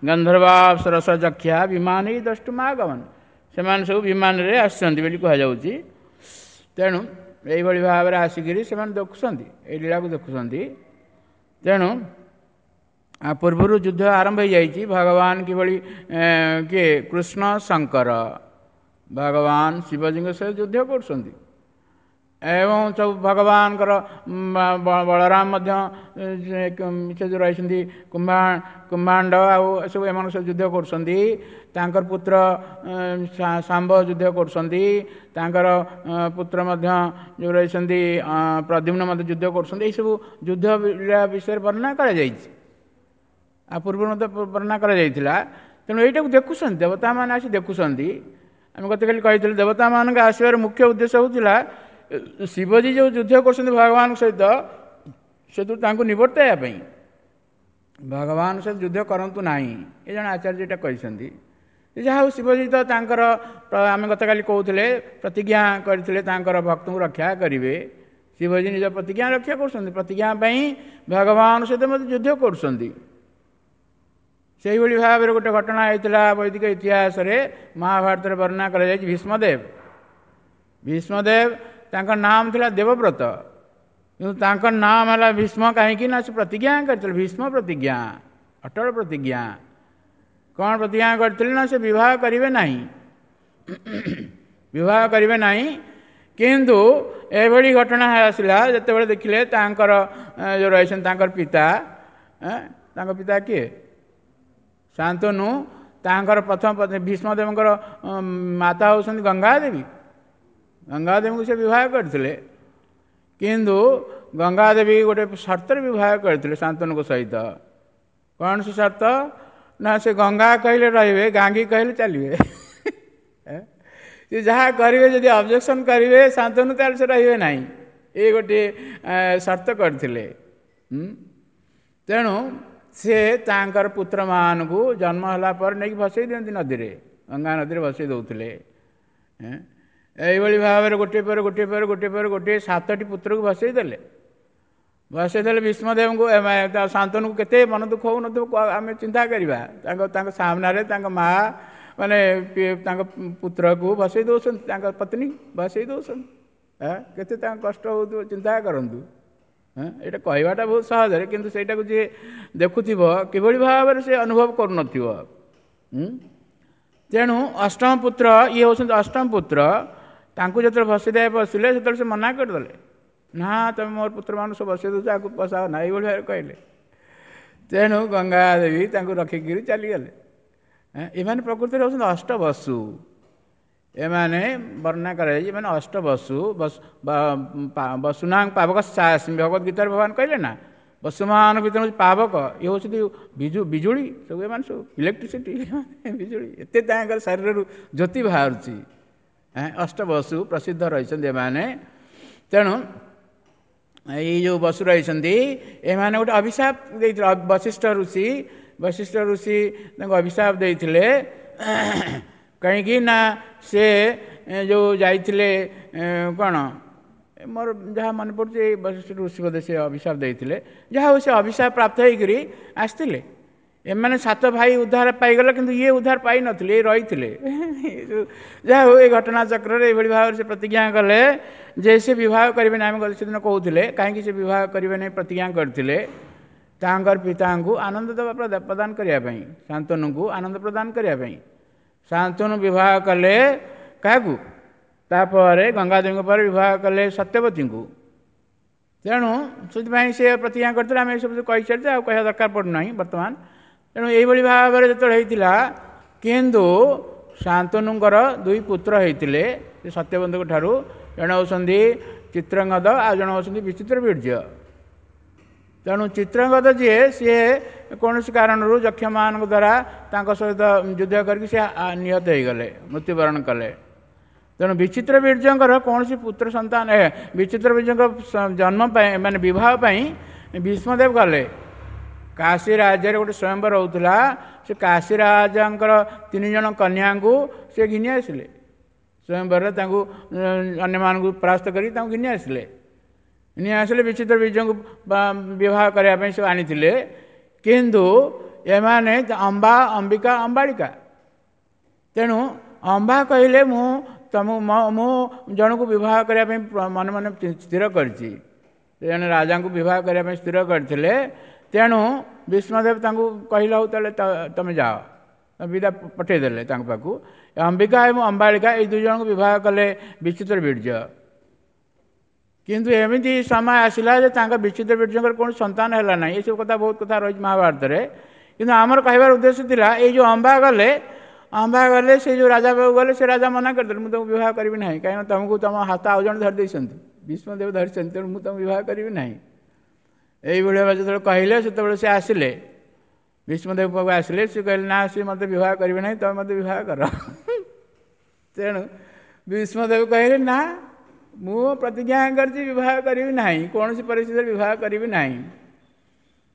ଗନ୍ଧର୍ବାପ୍ସରସ ଯକ୍ଷା ବିମାନ ଦ୍ରଷ୍ଟୁମାଗମନ, ସେମାନେ ସବୁ ବିମାନରେ ଆସୁଛନ୍ତି ବୋଲି କୁହାଯାଉଛି। ତେଣୁ ଏଇଭଳି ଭାବରେ ଆସିକିରି ସେମାନେ ଦେଖୁଛନ୍ତି, ଏଇ ଲୀଳାକୁ ଦେଖୁଛନ୍ତି। ତେଣୁ ପୂର୍ବରୁ ଯୁଦ୍ଧ ଆରମ୍ଭ ହୋଇଯାଇଛି। ଭଗବାନ କିଭଳି କିଏ କୃଷ୍ଣ ଶଙ୍କର ଭଗବାନ ଶିବଜୀଙ୍କ ସହିତ ଯୁଦ୍ଧ କରୁଛନ୍ତି, ଏବଂ ସବୁ ଭଗବାନଙ୍କର ବଳରାମ ମଧ୍ୟ ସେ ଯେଉଁ ରହିଛନ୍ତି କୁମ୍ଭାଣ୍ଡ ଆଉ ଏସବୁ ଏମାନଙ୍କ ସହିତ ଯୁଦ୍ଧ କରୁଛନ୍ତି। ତାଙ୍କର ପୁତ୍ର ଶାମ୍ବ ଯୁଦ୍ଧ କରୁଛନ୍ତି, ତାଙ୍କର ପୁତ୍ର ମଧ୍ୟ ଯେଉଁ ରହିଛନ୍ତି ପ୍ରଦ୍ୟୁମ୍ନ ମଧ୍ୟ ଯୁଦ୍ଧ କରୁଛନ୍ତି। ଏଇସବୁ ଯୁଦ୍ଧ ବିଷୟରେ ବର୍ଣ୍ଣନା କରାଯାଇଛି, ଆଉ ପୂର୍ବରୁ ମଧ୍ୟ ବର୍ଣ୍ଣନା କରାଯାଇଥିଲା। ତେଣୁ ଏଇଟାକୁ ଦେଖୁଛନ୍ତି ଦେବତାମାନେ ଆସି ଦେଖୁଛନ୍ତି। ଆମେ ଗତକାଲି କହିଥିଲୁ ଦେବତାମାନଙ୍କ ଆସିବାର ମୁଖ୍ୟ ଉଦ୍ଦେଶ୍ୟ ହେଉଥିଲା ଶିବଜୀ ଯେଉଁ ଯୁଦ୍ଧ କରୁଛନ୍ତି ଭଗବାନଙ୍କ ସହିତ, ସେଥିରୁ ତାଙ୍କୁ ନିବର୍ତ୍ତାଇବା ପାଇଁ ଭଗବାନ ସହିତ ଯୁଦ୍ଧ କରନ୍ତୁ ନାହିଁ, ଏ ଜଣେ ଆଚାର୍ଯ୍ୟ ଏଇଟା କହିଛନ୍ତି। ଯାହା ହଉ, ଶିବଜୀ ତ ତାଙ୍କର, ଆମେ ଗତକାଲି କହୁଥିଲେ, ପ୍ରତିଜ୍ଞା କରିଥିଲେ ତାଙ୍କର ଭକ୍ତଙ୍କୁ ରକ୍ଷା କରିବେ। ଶିବଜୀ ନିଜ ପ୍ରତିଜ୍ଞା ରକ୍ଷା କରୁଛନ୍ତି, ପ୍ରତିଜ୍ଞା ପାଇଁ ଭଗବାନ ସହିତ ମଧ୍ୟ ଯୁଦ୍ଧ କରୁଛନ୍ତି। ସେଇଭଳି ଭାବରେ ଗୋଟେ ଘଟଣା ହେଇଥିଲା ବୈଦିକ ଇତିହାସରେ, ମହାଭାରତରେ ବର୍ଣ୍ଣନା କରାଯାଇଛି। ଭୀଷ୍ମଦେବ, ଭୀଷ୍ମଦେବ ତାଙ୍କ ନାମ ଥିଲା ଦେବବ୍ରତ, କିନ୍ତୁ ତାଙ୍କ ନାମ ହେଲା ଭୀଷ୍ମ। କାହିଁକି ନା ସେ ପ୍ରତିଜ୍ଞା କରିଥିଲେ, ଭୀଷ୍ମ ପ୍ରତିଜ୍ଞା, ଅଟଳ ପ୍ରତିଜ୍ଞା। କ'ଣ ପ୍ରତିଜ୍ଞା କରିଥିଲେ ନା ସେ ବିବାହ କରିବେ ନାହିଁ, ବିବାହ କରିବେ ନାହିଁ। କିନ୍ତୁ ଏଭଳି ଘଟଣା ଆସିଲା ଯେତେବେଳେ ଦେଖିଲେ ତାଙ୍କର ଯେଉଁ ରହିଛନ୍ତି ତାଙ୍କର ପିତା, ତାଙ୍କ ପିତା କିଏ? ଶାନ୍ତନୁ। ତାଙ୍କର ପ୍ରଥମ ପତ୍ନୀ, ଭୀଷ୍ମଦେବଙ୍କର ମାତା ହେଉଛନ୍ତି ଗଙ୍ଗାଦେବୀ। ଗଙ୍ଗାଦେବୀଙ୍କୁ ସେ ବିବାହ କରିଥିଲେ, କିନ୍ତୁ ଗଙ୍ଗାଦେବୀ ଗୋଟେ ସର୍ତ୍ତରେ ବିବାହ କରିଥିଲେ ଶାନ୍ତନୁଙ୍କ ସହିତ। କ'ଣ ସେ ସର୍ତ୍ତ ନା ସେ ଗଙ୍ଗା କହିଲେ ରହିବେ, ଗାଙ୍ଗୀ କହିଲେ ଚାଲିବେ। ସେ ଯାହା କରିବେ, ଯଦି ଅବଜେକ୍ସନ୍ କରିବେ ଶାନ୍ତନୁ, ତାହେଲେ ସେ ରହିବେ ନାହିଁ। ଏ ଗୋଟିଏ ସର୍ତ୍ତ କରିଥିଲେ। ତେଣୁ ସେ ତାଙ୍କର ପୁତ୍ରମାନଙ୍କୁ ଜନ୍ମ ହେଲା ପରେ ନେଇକି ଭସେଇ ଦିଅନ୍ତି ନଦୀରେ, ଗଙ୍ଗା ନଦୀରେ ଭସେଇ ଦେଉଥିଲେ। ଏଇଭଳି ଭାବରେ ଗୋଟିଏ ପରେ ଗୋଟିଏ ପରେ ଗୋଟିଏ ପରେ ଗୋଟିଏ 7ଟି ପୁତ୍ରକୁ ଭସେଇ ଦେଲେ, ଭସେଇ ଦେଲେ। ଭୀଷ୍ମଦେବଙ୍କୁ, ଶାନ୍ତନୁକୁ କେତେ ମନ ଦୁଃଖ ହେଉନଥିବ ଆମେ ଚିନ୍ତା କରିବା। ତାଙ୍କ ସାମ୍ନାରେ ତାଙ୍କ ମା ମାନେ ତାଙ୍କ ପୁତ୍ରକୁ ଭସେଇ ଦେଉଛନ୍ତି, ତାଙ୍କ ପତ୍ନୀ ଭସେଇ ଦେଉଛନ୍ତି, କେତେ ତାଙ୍କ କଷ୍ଟ ହେଉଥିବ ଚିନ୍ତା କରନ୍ତୁ। ଏଇଟା କହିବାଟା ବହୁତ ସହଜରେ, କିନ୍ତୁ ସେଇଟାକୁ ଯିଏ ଦେଖୁଥିବ କିଭଳି ଭାବରେ ସେ ଅନୁଭବ କରୁନଥିବ। ତେଣୁ ଅଷ୍ଟମ ପୁତ୍ର, ଇଏ ହେଉଛନ୍ତି ଅଷ୍ଟମ ପୁତ୍ର, ତାଙ୍କୁ ଯେତେବେଳେ ଭସେଇ ଦେବା ବସିଲେ ସେତେବେଳେ ସେ ମନା କରିଦେଲେ, ନା ତମେ ମୋର ପୁତ୍ରମାନଙ୍କୁ ସବୁ ବସେଇ ଦେଉଛ, ଆକୁ ବସାଅ ନା, ଏଇଭଳି ଭାବରେ କହିଲେ। ତେଣୁ ଗଙ୍ଗାଦେବୀ ତାଙ୍କୁ ରଖିକିରି ଚାଲିଗଲେ। ଏମାନେ ପ୍ରକୃତିରେ ହେଉଛନ୍ତି ଅଷ୍ଟବସୁ। ଏମାନେ ବର୍ଣ୍ଣନା କରାଯାଇଛି, ଏମାନେ ଅଷ୍ଟବସୁ। ବସୁନାଂ ପାବକ ସାସ୍ମି, ଭଗବତ ଗୀତାରେ ଭଗବାନ କହିଲେ ନା, ବସୁମାନଙ୍କ ଭିତରେ ହେଉଛି ପାବକ, ଇଏ ହେଉଛନ୍ତି ବିଜୁଳି ସବୁ, ଏମାନେ ସବୁ ଇଲେକ୍ଟ୍ରିସିଟି, ବିଜୁଳି, ଏତେ ତାଙ୍କର ଶରୀରରୁ ଜ୍ୟୋତି ବାହାରୁଛି। ଅଷ୍ଟବସୁ ପ୍ରସିଦ୍ଧ ରହିଛନ୍ତି ଏମାନେ। ତେଣୁ ଏଇ ଯେଉଁ ବସୁ ରହିଛନ୍ତି, ଏମାନେ ଗୋଟେ ଅଭିଶାପ ଦେଇଥିଲେ ବଶିଷ୍ଠ ଋଷି। ବଶିଷ୍ଠ ଋଷି ତାଙ୍କୁ ଅଭିଶାପ ଦେଇଥିଲେ, କାହିଁକି ନା ସେ ଯେଉଁ ଯାଇଥିଲେ, କ'ଣ ମୋର ଯାହା ମନେ ପଡ଼ୁଛି, ଏଇ ବଶିଷ୍ଠ ଋଷି ବୋଧେ ସେ ଅଭିଶାପ ଦେଇଥିଲେ। ଯାହା ହଉ, ସେ ଅଭିଶାପ ପ୍ରାପ୍ତ ହେଇକରି ଆସିଥିଲେ। ଏମାନେ 7 ଭାଇ ଉଦ୍ଧାର ପାଇଗଲେ, କିନ୍ତୁ ଇଏ ଉଦ୍ଧାର ପାଇନଥିଲେ, ଇଏ ରହିଥିଲେ। ଯାହା ହଉ, ଏ ଘଟଣା ଚକ୍ରରେ ଏଇଭଳି ଭାବରେ ସେ ପ୍ରତିଜ୍ଞା କଲେ ଯେ ସେ ବିବାହ କରିବେ ନାହିଁ। ଆମେ ସେଦିନ କହୁଥିଲେ କାହିଁକି ସେ ବିବାହ କରିବେ ନାହିଁ ପ୍ରତିଜ୍ଞା କରିଥିଲେ, ତାଙ୍କର ପିତାଙ୍କୁ ଆନନ୍ଦ ଦେବା, ପ୍ରଦାନ କରିବା ପାଇଁ, ଶାନ୍ତନୁଙ୍କୁ ଆନନ୍ଦ ପ୍ରଦାନ କରିବା ପାଇଁ। ଶାନ୍ତନୁ ବିବାହ କଲେ କାହାକୁ? ତାପରେ ଗଙ୍ଗାଦେବୀଙ୍କ ପରେ ବିବାହ କଲେ ସତ୍ୟବତୀଙ୍କୁ। ତେଣୁ ସେଥିପାଇଁ ସେ ପ୍ରତିଜ୍ଞା କରିଥିଲେ। ଆମେ ଏସବୁ କହିସାରିଛେ, ଆଉ କହିବା ଦରକାର ପଡ଼ୁନାହିଁ ବର୍ତ୍ତମାନ। ତେଣୁ ଏଇଭଳି ଭାବରେ ଯେତେବେଳେ ହେଇଥିଲା, କିନ୍ତୁ ଶାନ୍ତନୁଙ୍କର 2 ପୁତ୍ର ହେଇଥିଲେ ସେ ସତ୍ୟବତୀଙ୍କ ଠାରୁ, ଜଣେ ହେଉଛନ୍ତି ଚିତ୍ରଙ୍ଗଦ, ଆଉ ଜଣେ ହେଉଛନ୍ତି ବିଚିତ୍ର ବୀର୍ଯ୍ୟ। ତେଣୁ ଚିତ୍ରଙ୍ଗଦ ଯିଏ, ସିଏ କୌଣସି କାରଣରୁ ଯକ୍ଷମାନଙ୍କ ଦ୍ୱାରା ତାଙ୍କ ସହିତ ଯୁଦ୍ଧ କରିକି ସେ ନିହତ ହେଇଗଲେ, ମୃତ୍ୟୁବରଣ କଲେ। ତେଣୁ ବିଚିତ୍ର ବୀର୍ଯ୍ୟଙ୍କର କୌଣସି ପୁତ୍ର ସନ୍ତାନ, ବିଚିତ୍ର ବୀର୍ଯ୍ୟଙ୍କ ଜନ୍ମ ପାଇଁ ମାନେ ବିବାହ ପାଇଁ ଭୀଷ୍ମଦେବ ଗଲେ। କାଶୀ ରାଜ୍ୟରେ ଗୋଟେ ସ୍ୱୟଂବର ହେଉଥିଲା, ସେ କାଶୀ ରାଜାଙ୍କର 3 ଜଣ କନ୍ୟାଙ୍କୁ ସେ ଘିନି ଆସିଲେ ସ୍ୱୟଂବରରେ, ତାଙ୍କୁ ଅନ୍ୟମାନଙ୍କୁ ପରାସ୍ତ କରି ତାଙ୍କୁ ଘିନି ଆସିଲେ। ଘିନି ଆସିଲେ ବିଚିତ୍ର ବୀର୍ଯ୍ୟଙ୍କୁ ବିବାହ କରିବା ପାଇଁ ସବୁ ଆଣିଥିଲେ। କିନ୍ତୁ ଏମାନେ ଅମ୍ବା, ଅମ୍ବିକା, ଅମ୍ବାଳିକା। ତେଣୁ ଅମ୍ବା କହିଲେ ମୁଁ ତମ ମୁଁ ଜଣକୁ ବିବାହ କରିବା ପାଇଁ ମନେ ମନେ ସ୍ଥିର କରିଛି। ଜଣେ ରାଜାଙ୍କୁ ବିବାହ କରିବା ପାଇଁ ସ୍ଥିର କରିଥିଲେ। ତେଣୁ ଭୀଷ୍ମଦେବ ତାଙ୍କୁ କହିଲେ, ହଉ ତାହେଲେ ତମେ ଯାଅ, ବିଦା ପଠେଇଦେଲେ ତାଙ୍କ ପାଖକୁ। ଅମ୍ବିକା ଏବଂ ଅମ୍ବାଳିକା ଏଇ 2 ଜଣଙ୍କୁ ବିବାହ କଲେ ବିଚିତ୍ର ବୀର୍ଯ୍ୟ। କିନ୍ତୁ ଏମିତି ସମୟ ଆସିଲା ଯେ ତାଙ୍କ ବିଚିତ୍ର ବୀର୍ଯ୍ୟଙ୍କର କୌଣସି ସନ୍ତାନ ହେଲା ନାହିଁ। ଏସବୁ କଥା ବହୁତ କଥା ରହିଛି ମହାଭାରତରେ, କିନ୍ତୁ ଆମର କହିବାର ଉଦ୍ଦେଶ୍ୟ ଥିଲା ଏଇ ଯେଉଁ ଅମ୍ବା ଗଲେ, ଅମ୍ବା ଗଲେ ସେ ଯେଉଁ ରାଜା ପାଖକୁ ଗଲେ, ସେ ରାଜା ମନା କରିଦେଲେ, ମୁଁ ତୁମକୁ ବିବାହ କରିବି ନାହିଁ, କାହିଁକିନା ତୁମକୁ ତୁମ ହାତ ଆଉ ଜଣେ ଧରି ଦେଇଛନ୍ତି, ଭୀଷ୍ମଦେବ ଧରିଛନ୍ତି, ତେଣୁ ମୁଁ ତୁମକୁ ବିବାହ କରିବି ନାହିଁ। ଏଇଭଳି ଭାବେ ଯେତେବେଳେ କହିଲେ, ସେତେବେଳେ ସେ ଆସିଲେ ଭୀଷ୍ମଦେବ ପାଖକୁ ଆସିଲେ। ସେ କହିଲେ, ନା ସେ ମୋତେ ବିବାହ କରିବେ ନାହିଁ, ତୁମେ ମୋତେ ବିବାହ କର। ତେଣୁ ଭୀଷ୍ମଦେବ କହିଲେ, ନା ମୁଁ ପ୍ରତିଜ୍ଞା କରିଛି ବିବାହ କରିବି ନାହିଁ, କୌଣସି ପରିସ୍ଥିତିରେ ବିବାହ କରିବି ନାହିଁ।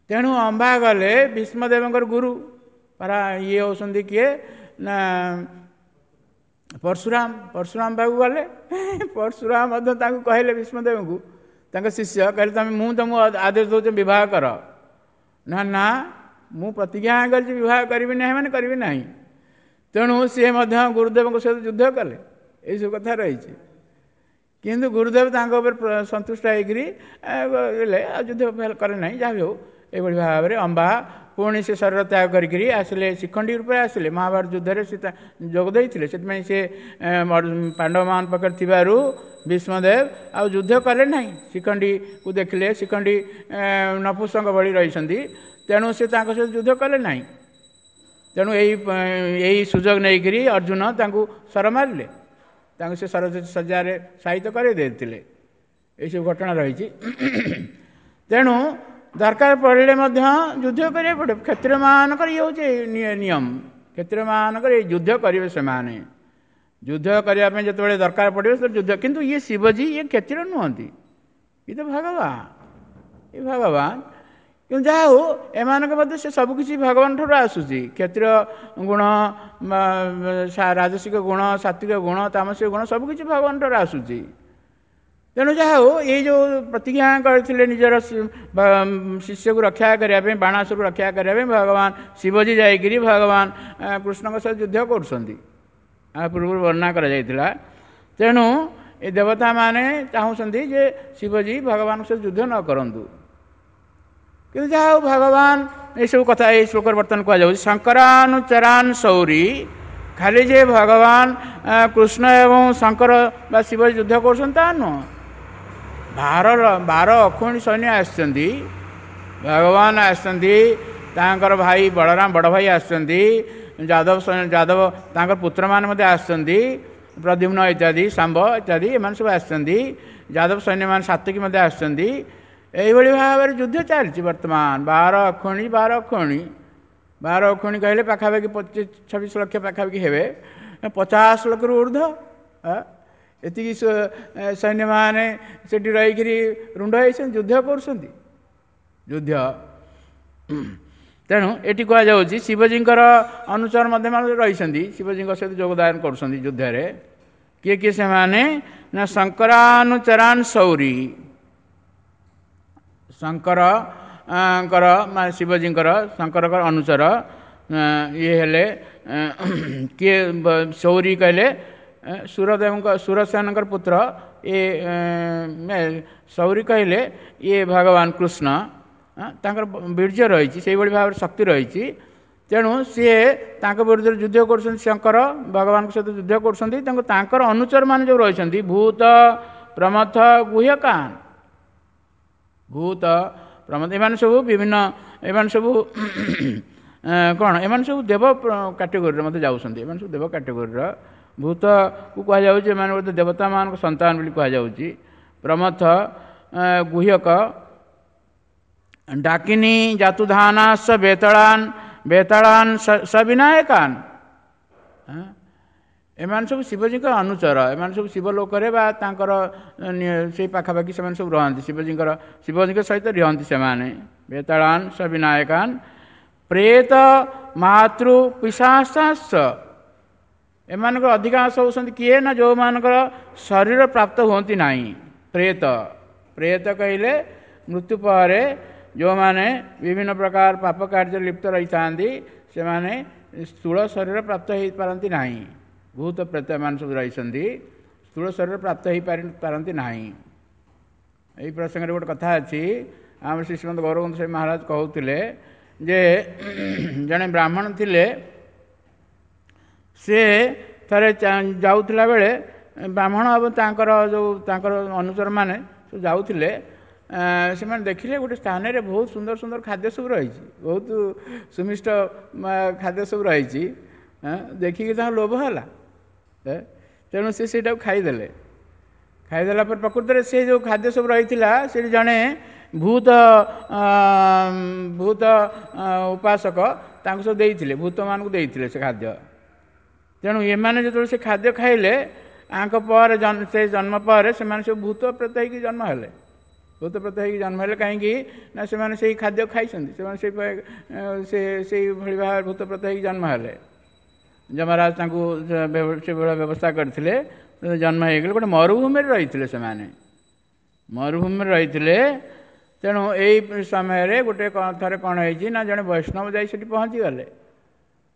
ତେଣୁ ଅମ୍ବା ଗଲେ ଭୀଷ୍ମଦେବଙ୍କର ଗୁରୁ ପରା ଇଏ ହେଉଛନ୍ତି କିଏ ନା ପରଶୁରାମ। ପରଶୁରାମ ପାଖକୁ ଗଲେ। ପରଶୁରାମ ମଧ୍ୟ ତାଙ୍କୁ କହିଲେ, ଭୀଷ୍ମଦେବଙ୍କୁ ତାଙ୍କ ଶିଷ୍ୟ କହିଲେ, ତମେ ମୁଁ ତୁମକୁ ଆଦେଶ ଦେଉଛି ବିବାହ କର। ନା ନା, ମୁଁ ପ୍ରତିଜ୍ଞା କରିଛି ବିବାହ କରିବି ନାହିଁ ମାନେ କରିବି ନାହିଁ। ତେଣୁ ସିଏ ମଧ୍ୟ ଗୁରୁଦେବଙ୍କ ସହିତ ଯୁଦ୍ଧ କଲେ। ଏଇସବୁ କଥା ରହିଛି। କିନ୍ତୁ ଗୁରୁଦେବ ତାଙ୍କ ଉପରେ ସନ୍ତୁଷ୍ଟ ହେଇକରି ଗଲେ, ଆଉ ଯୁଦ୍ଧ କଲେ ନାହିଁ। ଯାହା ବି ହେଉ, ଏଇଭଳି ଭାବରେ ଅମ୍ବା ପୁଣି ସେ ଶରୀର ତ୍ୟାଗ କରିକିରି ଆସିଲେ, ଶିଖଣ୍ଡୀ ରୂପରେ ଆସିଲେ। ମହାଭାରତ ଯୁଦ୍ଧରେ ସେ ଯୋଗ ଦେଇଥିଲେ। ସେଥିପାଇଁ ସେ ପାଣ୍ଡବମାନଙ୍କ ପାଖରେ ଥିବାରୁ ଭୀଷ୍ମଦେବ ଆଉ ଯୁଦ୍ଧ କଲେ ନାହିଁ। ଶିଖଣ୍ଡୀକୁ ଦେଖିଲେ, ଶିଖଣ୍ଡୀ ନପୁସଙ୍କ ଭଳି ରହିଛନ୍ତି, ତେଣୁ ସେ ତାଙ୍କ ସହିତ ଯୁଦ୍ଧ କଲେ ନାହିଁ। ତେଣୁ ଏଇ ସୁଯୋଗ ନେଇକରି ଅର୍ଜୁନ ତାଙ୍କୁ ଶର ମାରିଲେ, ତାଙ୍କୁ ସେ ଶର ଶଯ୍ୟାରେ ସାହିତ କରାଇ ଦେଇଥିଲେ। ଏଇସବୁ ଘଟଣା ରହିଛି। ତେଣୁ ଦରକାର ପଡ଼ିଲେ ମଧ୍ୟ ଯୁଦ୍ଧ କରିବାକୁ ପଡ଼ିବ। କ୍ଷତ୍ରିୟମାନଙ୍କର ଇଏ ହେଉଛି ନିୟମ। କ୍ଷତ୍ରିୟମାନଙ୍କର ଏଇ ଯୁଦ୍ଧ କରିବେ ସେମାନେ। ଯୁଦ୍ଧ କରିବା ପାଇଁ ଯେତେବେଳେ ଦରକାର ପଡ଼ିବ ସେତେବେଳେ ଯୁଦ୍ଧ। କିନ୍ତୁ ଇଏ ଶିବଜୀ ଇଏ କ୍ଷତ୍ରିୟ ନୁହନ୍ତି, ଇଏ ତ ଭଗବାନ, ଇଏ ଭଗବାନ। କିନ୍ତୁ ଯାହା ହଉ, ଏମାନଙ୍କ ମଧ୍ୟ ସେ ସବୁକିଛି ଭଗବାନ ଠାରୁ ଆସୁଛି। କ୍ଷତ୍ରିୟ ଗୁଣ, ରାଜସିକ ଗୁଣ, ସାତ୍ଵିକ ଗୁଣ, ତାମସିକ ଗୁଣ ସବୁକିଛି ଭଗବାନ ଠାରୁ ଆସୁଛି। ତେଣୁ ଯାହା ହଉ, ଏଇ ଯେଉଁ ପ୍ରତିଜ୍ଞା କରିଥିଲେ ନିଜର ଶିଷ୍ୟକୁ ରକ୍ଷା କରିବା ପାଇଁ, ବାଣାସୁରକୁ ରକ୍ଷା କରିବା ପାଇଁ, ଭଗବାନ ଶିବଜୀ ଯାଇକରି ଭଗବାନ କୃଷ୍ଣଙ୍କ ସହିତ ଯୁଦ୍ଧ କରୁଛନ୍ତି, ଆ ପୂର୍ବରୁ ବର୍ଣ୍ଣନା କରାଯାଇଥିଲା। ତେଣୁ ଏ ଦେବତାମାନେ ଚାହୁଁଛନ୍ତି ଯେ ଶିବଜୀ ଭଗବାନଙ୍କ ସହିତ ଯୁଦ୍ଧ ନ କରନ୍ତୁ। କିନ୍ତୁ ଯାହା ହଉ, ଭଗବାନ ଏସବୁ କଥା ଏଇ ଶ୍ଲୋକରେ ବର୍ତ୍ତମାନ କୁହାଯାଉଛି। ଶଙ୍କରାନୁଚରାନ ସୌରୀ, ଖାଲି ଯେ ଭଗବାନ କୃଷ୍ଣ ଏବଂ ଶଙ୍କର ବା ଶିବ ଯୁଦ୍ଧ କରୁଛନ୍ତି ତା ନୁହଁ। 12 ଅକ୍ଷୌହିଣୀ ସୈନ୍ୟ ଆସିଛନ୍ତି, ଭଗବାନ ଆସିଛନ୍ତି, ତାଙ୍କର ଭାଇ ବଳରାମ ବଡ଼ ଭାଇ ଆସିଛନ୍ତି, ଯାଦବ ତାଙ୍କର ପୁତ୍ରମାନେ ମଧ୍ୟ ଆସିଛନ୍ତି, ପ୍ରଦ୍ୟୁମ୍ନ ଇତ୍ୟାଦି, ଶାମ୍ବ ଇତ୍ୟାଦି, ଏମାନେ ସବୁ ଆସିଛନ୍ତି। ଯାଦବ ସୈନ୍ୟମାନେ ସାତ୍ୱିକ ମଧ୍ୟ ଆସିଛନ୍ତି। ଏଇଭଳି ଭାବରେ ଯୁଦ୍ଧ ଚାଲିଛି ବର୍ତ୍ତମାନ। 12 ଅକ୍ଷୌହିଣୀ, 12 ଅକ୍ଷୌହିଣୀ, 12 ଅକ୍ଷୌହିଣୀ କହିଲେ ପାଖାପାଖି 25-26 ଲକ୍ଷ ପାଖାପାଖି ହେବେ, 50 ଲକ୍ଷରୁ ଉର୍ଦ୍ଧ୍ୱ ଏତିକି ସୈନ୍ୟମାନେ ସେଠି ରହିକରି ରୁଣ୍ଡ ହେଇଛନ୍ତି, ଯୁଦ୍ଧ କରୁଛନ୍ତି ଯୁଦ୍ଧ। ତେଣୁ ଏଠି କୁହାଯାଉଛି ଶିବଜୀଙ୍କର ଅନୁଚର ମଧ୍ୟ ରହିଛନ୍ତି, ଶିବଜୀଙ୍କ ସହିତ ଯୋଗଦାନ କରୁଛନ୍ତି ଯୁଦ୍ଧରେ। କିଏ କିଏ ସେମାନେ ନା ଶଙ୍କରାନୁଚରାନ ସୌରୀ, ଶଙ୍କରଙ୍କର ମାନେ ଶିବଜୀଙ୍କର ଶଙ୍କରଙ୍କର ଅନୁଚର ଇଏ ହେଲେ କିଏ? ସୌରୀ କହିଲେ ସୁରଦେବଙ୍କ, ସୁରସେନଙ୍କର ପୁତ୍ର ଇଏ। ସୌରୀ କହିଲେ ଇଏ ଭଗବାନ କୃଷ୍ଣ, ତାଙ୍କର ବୀର୍ଯ୍ୟ ରହିଛି, ସେଇଭଳି ଭାବରେ ଶକ୍ତି ରହିଛି। ତେଣୁ ସିଏ ତାଙ୍କ ବିରୁଦ୍ଧରେ ଯୁଦ୍ଧ କରୁଛନ୍ତି, ଶଙ୍କର ଭଗବାନଙ୍କ ସହିତ ଯୁଦ୍ଧ କରୁଛନ୍ତି। ତେଣୁ ତାଙ୍କର ଅନୁଚରମାନେ ଯେଉଁ ରହିଛନ୍ତି, ଭୂତ ପ୍ରମଥ ଗୁହ୍ୟକାନ, ଭୂତ ପ୍ରମଥ, ଏମାନେ ସବୁ ବିଭିନ୍ନ, ଏମାନେ ସବୁ କ'ଣ, ଏମାନେ ସବୁ ଦେବ କାଟେଗୋରୀରେ ମଧ୍ୟ ଯାଉଛନ୍ତି। ଏମାନେ ସବୁ ଦେବ କାଟେଗୋରୀର। ଭୂତକୁ କୁହାଯାଉଛି ଏମାନେ ବୋଧେ ଦେବତାମାନଙ୍କ ସନ୍ତାନ ବୋଲି କୁହାଯାଉଛି। ପ୍ରମଥ ଗୁହ୍ୟକ ଡାକିନୀ ଜାତୁଧାନାସ ବେତାଳାନ ବେତାଳାନ ସବିନାୟକାନ, ଏମାନେ ସବୁ ଶିବଜୀଙ୍କ ଅନୁଚର। ଏମାନେ ସବୁ ଶିବଲୋକରେ ବା ତାଙ୍କର ସେଇ ପାଖାପାଖି ସେମାନେ ସବୁ ରହନ୍ତି, ଶିବଜୀଙ୍କ ସହିତ ରୁହନ୍ତି ସେମାନେ। ବେତାଳାନ ସବିନାୟକାନ ପ୍ରେତ ମାତୃ ପିଶାଚାଶ୍ଚ, ଏମାନଙ୍କର ଅଧିକାଂଶ ହେଉଛନ୍ତି କିଏ ନା ଯେଉଁମାନଙ୍କର ଶରୀର ପ୍ରାପ୍ତ ହୁଅନ୍ତି ନାହିଁ। ପ୍ରେତ, ପ୍ରେତ କହିଲେ ମୃତ୍ୟୁ ପରେ ଯେଉଁମାନେ ବିଭିନ୍ନ ପ୍ରକାର ପାପ କାର୍ଯ୍ୟରେ ଲିପ୍ତ ରହିଥାନ୍ତି, ସେମାନେ ସ୍ଥୂଳ ଶରୀର ପ୍ରାପ୍ତ ହୋଇପାରନ୍ତି ନାହିଁ। ଭୂତ ପ୍ରେତ ଏମାନେ ସବୁ ରହିଛନ୍ତି, ସ୍ଥୂଳ ଶରୀର ପ୍ରାପ୍ତ ହୋଇପାରନ୍ତି ନାହିଁ। ଏହି ପ୍ରସଙ୍ଗରେ ଗୋଟେ କଥା ଅଛି। ଆମର ଶ୍ରୀ ଶ୍ରୀମନ୍ତ ଗୌରବନ୍ଧୁ ସ୍ୱାମୀ ମହାରାଜ କହୁଥିଲେ ଯେ ଜଣେ ବ୍ରାହ୍ମଣ ଥିଲେ, ସେ ଥରେ ଯାଉଥିଲା ବେଳେ ବ୍ରାହ୍ମଣ ଏବଂ ତାଙ୍କର ଯେଉଁ ତାଙ୍କର ଅନୁଚରମାନେ ସବୁ ଯାଉଥିଲେ, ସେମାନେ ଦେଖିଲେ ଗୋଟେ ସ୍ଥାନରେ ବହୁତ ସୁନ୍ଦର ସୁନ୍ଦର ଖାଦ୍ୟ ସବୁ ରହିଛି, ବହୁତ ସୁମିଷ୍ଟ ଖାଦ୍ୟ ସବୁ ରହିଛି। ଦେଖିକି ତାଙ୍କ ଲୋଭ ହେଲା, ତେଣୁ ସେ ସେଇଟାକୁ ଖାଇଦେଲେ। ଖାଇଦେଲା ପରେ ପ୍ରକୃତରେ ସେ ଯେଉଁ ଖାଦ୍ୟ ସବୁ ରହିଥିଲା, ସେଠି ଜଣେ ଭୂତ ଭୂତ ଉପାସକ ତାଙ୍କୁ ସବୁ ଦେଇଥିଲେ, ଭୂତମାନଙ୍କୁ ଦେଇଥିଲେ ସେ ଖାଦ୍ୟ। ତେଣୁ ଏମାନେ ଯେତେବେଳେ ସେ ଖାଦ୍ୟ ଖାଇଲେ, ଆଙ୍କ ପରେ ସେ ଜନ୍ମ ପରେ ସେମାନେ ସବୁ ଭୂତ ପ୍ରେତ ହେଇକି ଜନ୍ମ ହେଲେ। ଭୂତ ପ୍ରେତ ହେଇକି ଜନ୍ମ ହେଲେ କାହିଁକି ନା ସେମାନେ ସେଇ ଖାଦ୍ୟ ଖାଇଛନ୍ତି, ସେମାନେ ସେଇଭଳି ଭାବରେ ଭୂତ ପ୍ରେତ ହେଇକି ଜନ୍ମ ହେଲେ। ଯମରାଜ ତାଙ୍କୁ ସେଭଳିଆ ବ୍ୟବସ୍ଥା କରିଥିଲେ, ଜନ୍ମ ହେଇଗଲେ। ଗୋଟେ ମରୁଭୂମିରେ ରହିଥିଲେ ସେମାନେ, ମରୁଭୂମିରେ ରହିଥିଲେ। ତେଣୁ ଏଇ ସମୟରେ ଗୋଟେ ଥରେ କ'ଣ ହେଇଛି ନା ଜଣେ ବୈଷ୍ଣବ ଯାଇ ସେଠି ପହଞ୍ଚିଗଲେ।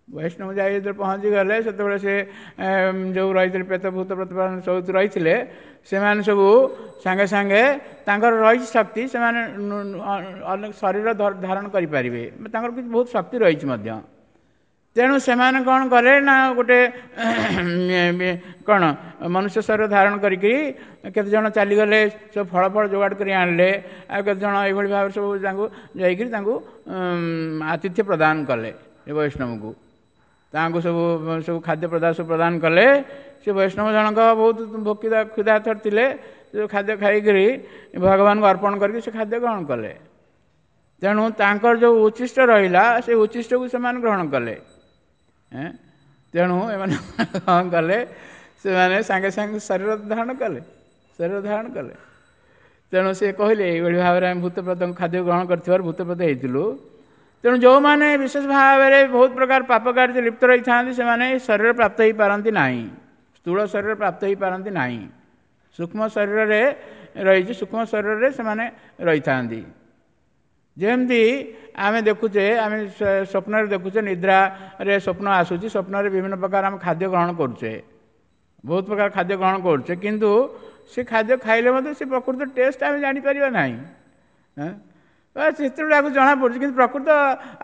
ବୈଷ୍ଣବ ଯାଇ ଯେତେବେଳେ ପହଞ୍ଚିଗଲେ, ସେତେବେଳେ ସେ ଯେଉଁ ରହିଥିଲେ ପ୍ରେତ ଭୂତ ପ୍ରତିପାଦନ ସବୁ ରହିଥିଲେ, ସେମାନେ ସବୁ ସାଙ୍ଗେ ସାଙ୍ଗେ ତାଙ୍କର ରହିଛି ଶକ୍ତି, ସେମାନେ ଅନେକ ଶରୀର ଧାରଣ କରିପାରିବେ, ତାଙ୍କର କିଛି ବହୁତ ଶକ୍ତି ରହିଛି ମଧ୍ୟ। ତେଣୁ ସେମାନେ କ'ଣ କଲେ ନା ଗୋଟେ କ'ଣ ମନୁଷ୍ୟ ଶରୀର ଧାରଣ କରିକି କେତେଜଣ ଚାଲିଗଲେ, ସବୁ ଫଳ ଫଳ ଯୋଗାଡ଼ କରି ଆଣିଲେ, ଆଉ କେତେଜଣ ଏଇଭଳି ଭାବରେ ସବୁ ତାଙ୍କୁ ଯାଇକରି ତାଙ୍କୁ ଆତିଥ୍ୟ ପ୍ରଦାନ କଲେ। ଏ ବୈଷ୍ଣବକୁ ତାଙ୍କୁ ସବୁ ସବୁ ଖାଦ୍ୟ ପଦାର୍ଥ ସବୁ ପ୍ରଦାନ କଲେ। ସେ ବୈଷ୍ଣବ ଜଣକ ବହୁତ ଭୋକିଲା କ୍ଷୁଧାର୍ତ ଥିଲେ, ସେ ଖାଦ୍ୟ ଖାଇକରି ଭଗବାନଙ୍କୁ ଅର୍ପଣ କରିକି ସେ ଖାଦ୍ୟ ଗ୍ରହଣ କଲେ। ତେଣୁ ତାଙ୍କର ଯେଉଁ ଉଚ୍ଛିଷ୍ଟ ରହିଲା, ସେ ଉଚ୍ଛିଷ୍ଟକୁ ସେମାନେ ଗ୍ରହଣ କଲେ। ତେଣୁ ଏମାନେ କ'ଣ କଲେ, ସେମାନେ ସାଙ୍ଗେ ସାଙ୍ଗେ ଶରୀର ଧାରଣ କଲେ, ଶରୀର ଧାରଣ କଲେ। ତେଣୁ ସେ କହିଲେ ଏଇଭଳି ଭାବରେ ଆମେ ଭୂତପ୍ରେତଙ୍କ ଖାଦ୍ୟ ଗ୍ରହଣ କରିଥିବାରୁ ଭୂତପ୍ରେତ ହେଇଥିଲୁ। ତେଣୁ ଯେଉଁମାନେ ବିଶେଷ ଭାବରେ ବହୁତ ପ୍ରକାର ପାପ କାର୍ଯ୍ୟ ଲିପ୍ତ ରହିଥାନ୍ତି, ସେମାନେ ଶରୀର ପ୍ରାପ୍ତ ହେଇପାରନ୍ତି ନାହିଁ, ସ୍ଥୂଳ ଶରୀର ପ୍ରାପ୍ତ ହେଇପାରନ୍ତି ନାହିଁ। ସୂକ୍ଷ୍ମ ଶରୀରରେ ରହିଛି, ସୂକ୍ଷ୍ମ ଶରୀରରେ ସେମାନେ ରହିଥାନ୍ତି। ଯେମିତି ଆମେ ଦେଖୁଛେ, ଆମେ ସ୍ୱପ୍ନରେ ଦେଖୁଛେ, ନିଦ୍ରାରେ ସ୍ୱପ୍ନ ଆସୁଛି, ସ୍ୱପ୍ନରେ ବିଭିନ୍ନ ପ୍ରକାର ଆମେ ଖାଦ୍ୟ ଗ୍ରହଣ କରୁଛେ, ବହୁତ ପ୍ରକାର ଖାଦ୍ୟ ଗ୍ରହଣ କରୁଛେ, କିନ୍ତୁ ସେ ଖାଦ୍ୟ ଖାଇଲେ ମଧ୍ୟ ସେ ପ୍ରକୃତ ଟେଷ୍ଟ ଆମେ ଜାଣିପାରିବା ନାହିଁ। ସେତେବେଳେ ଆକୁ ଜଣାପଡ଼ୁଛି, କିନ୍ତୁ ପ୍ରକୃତ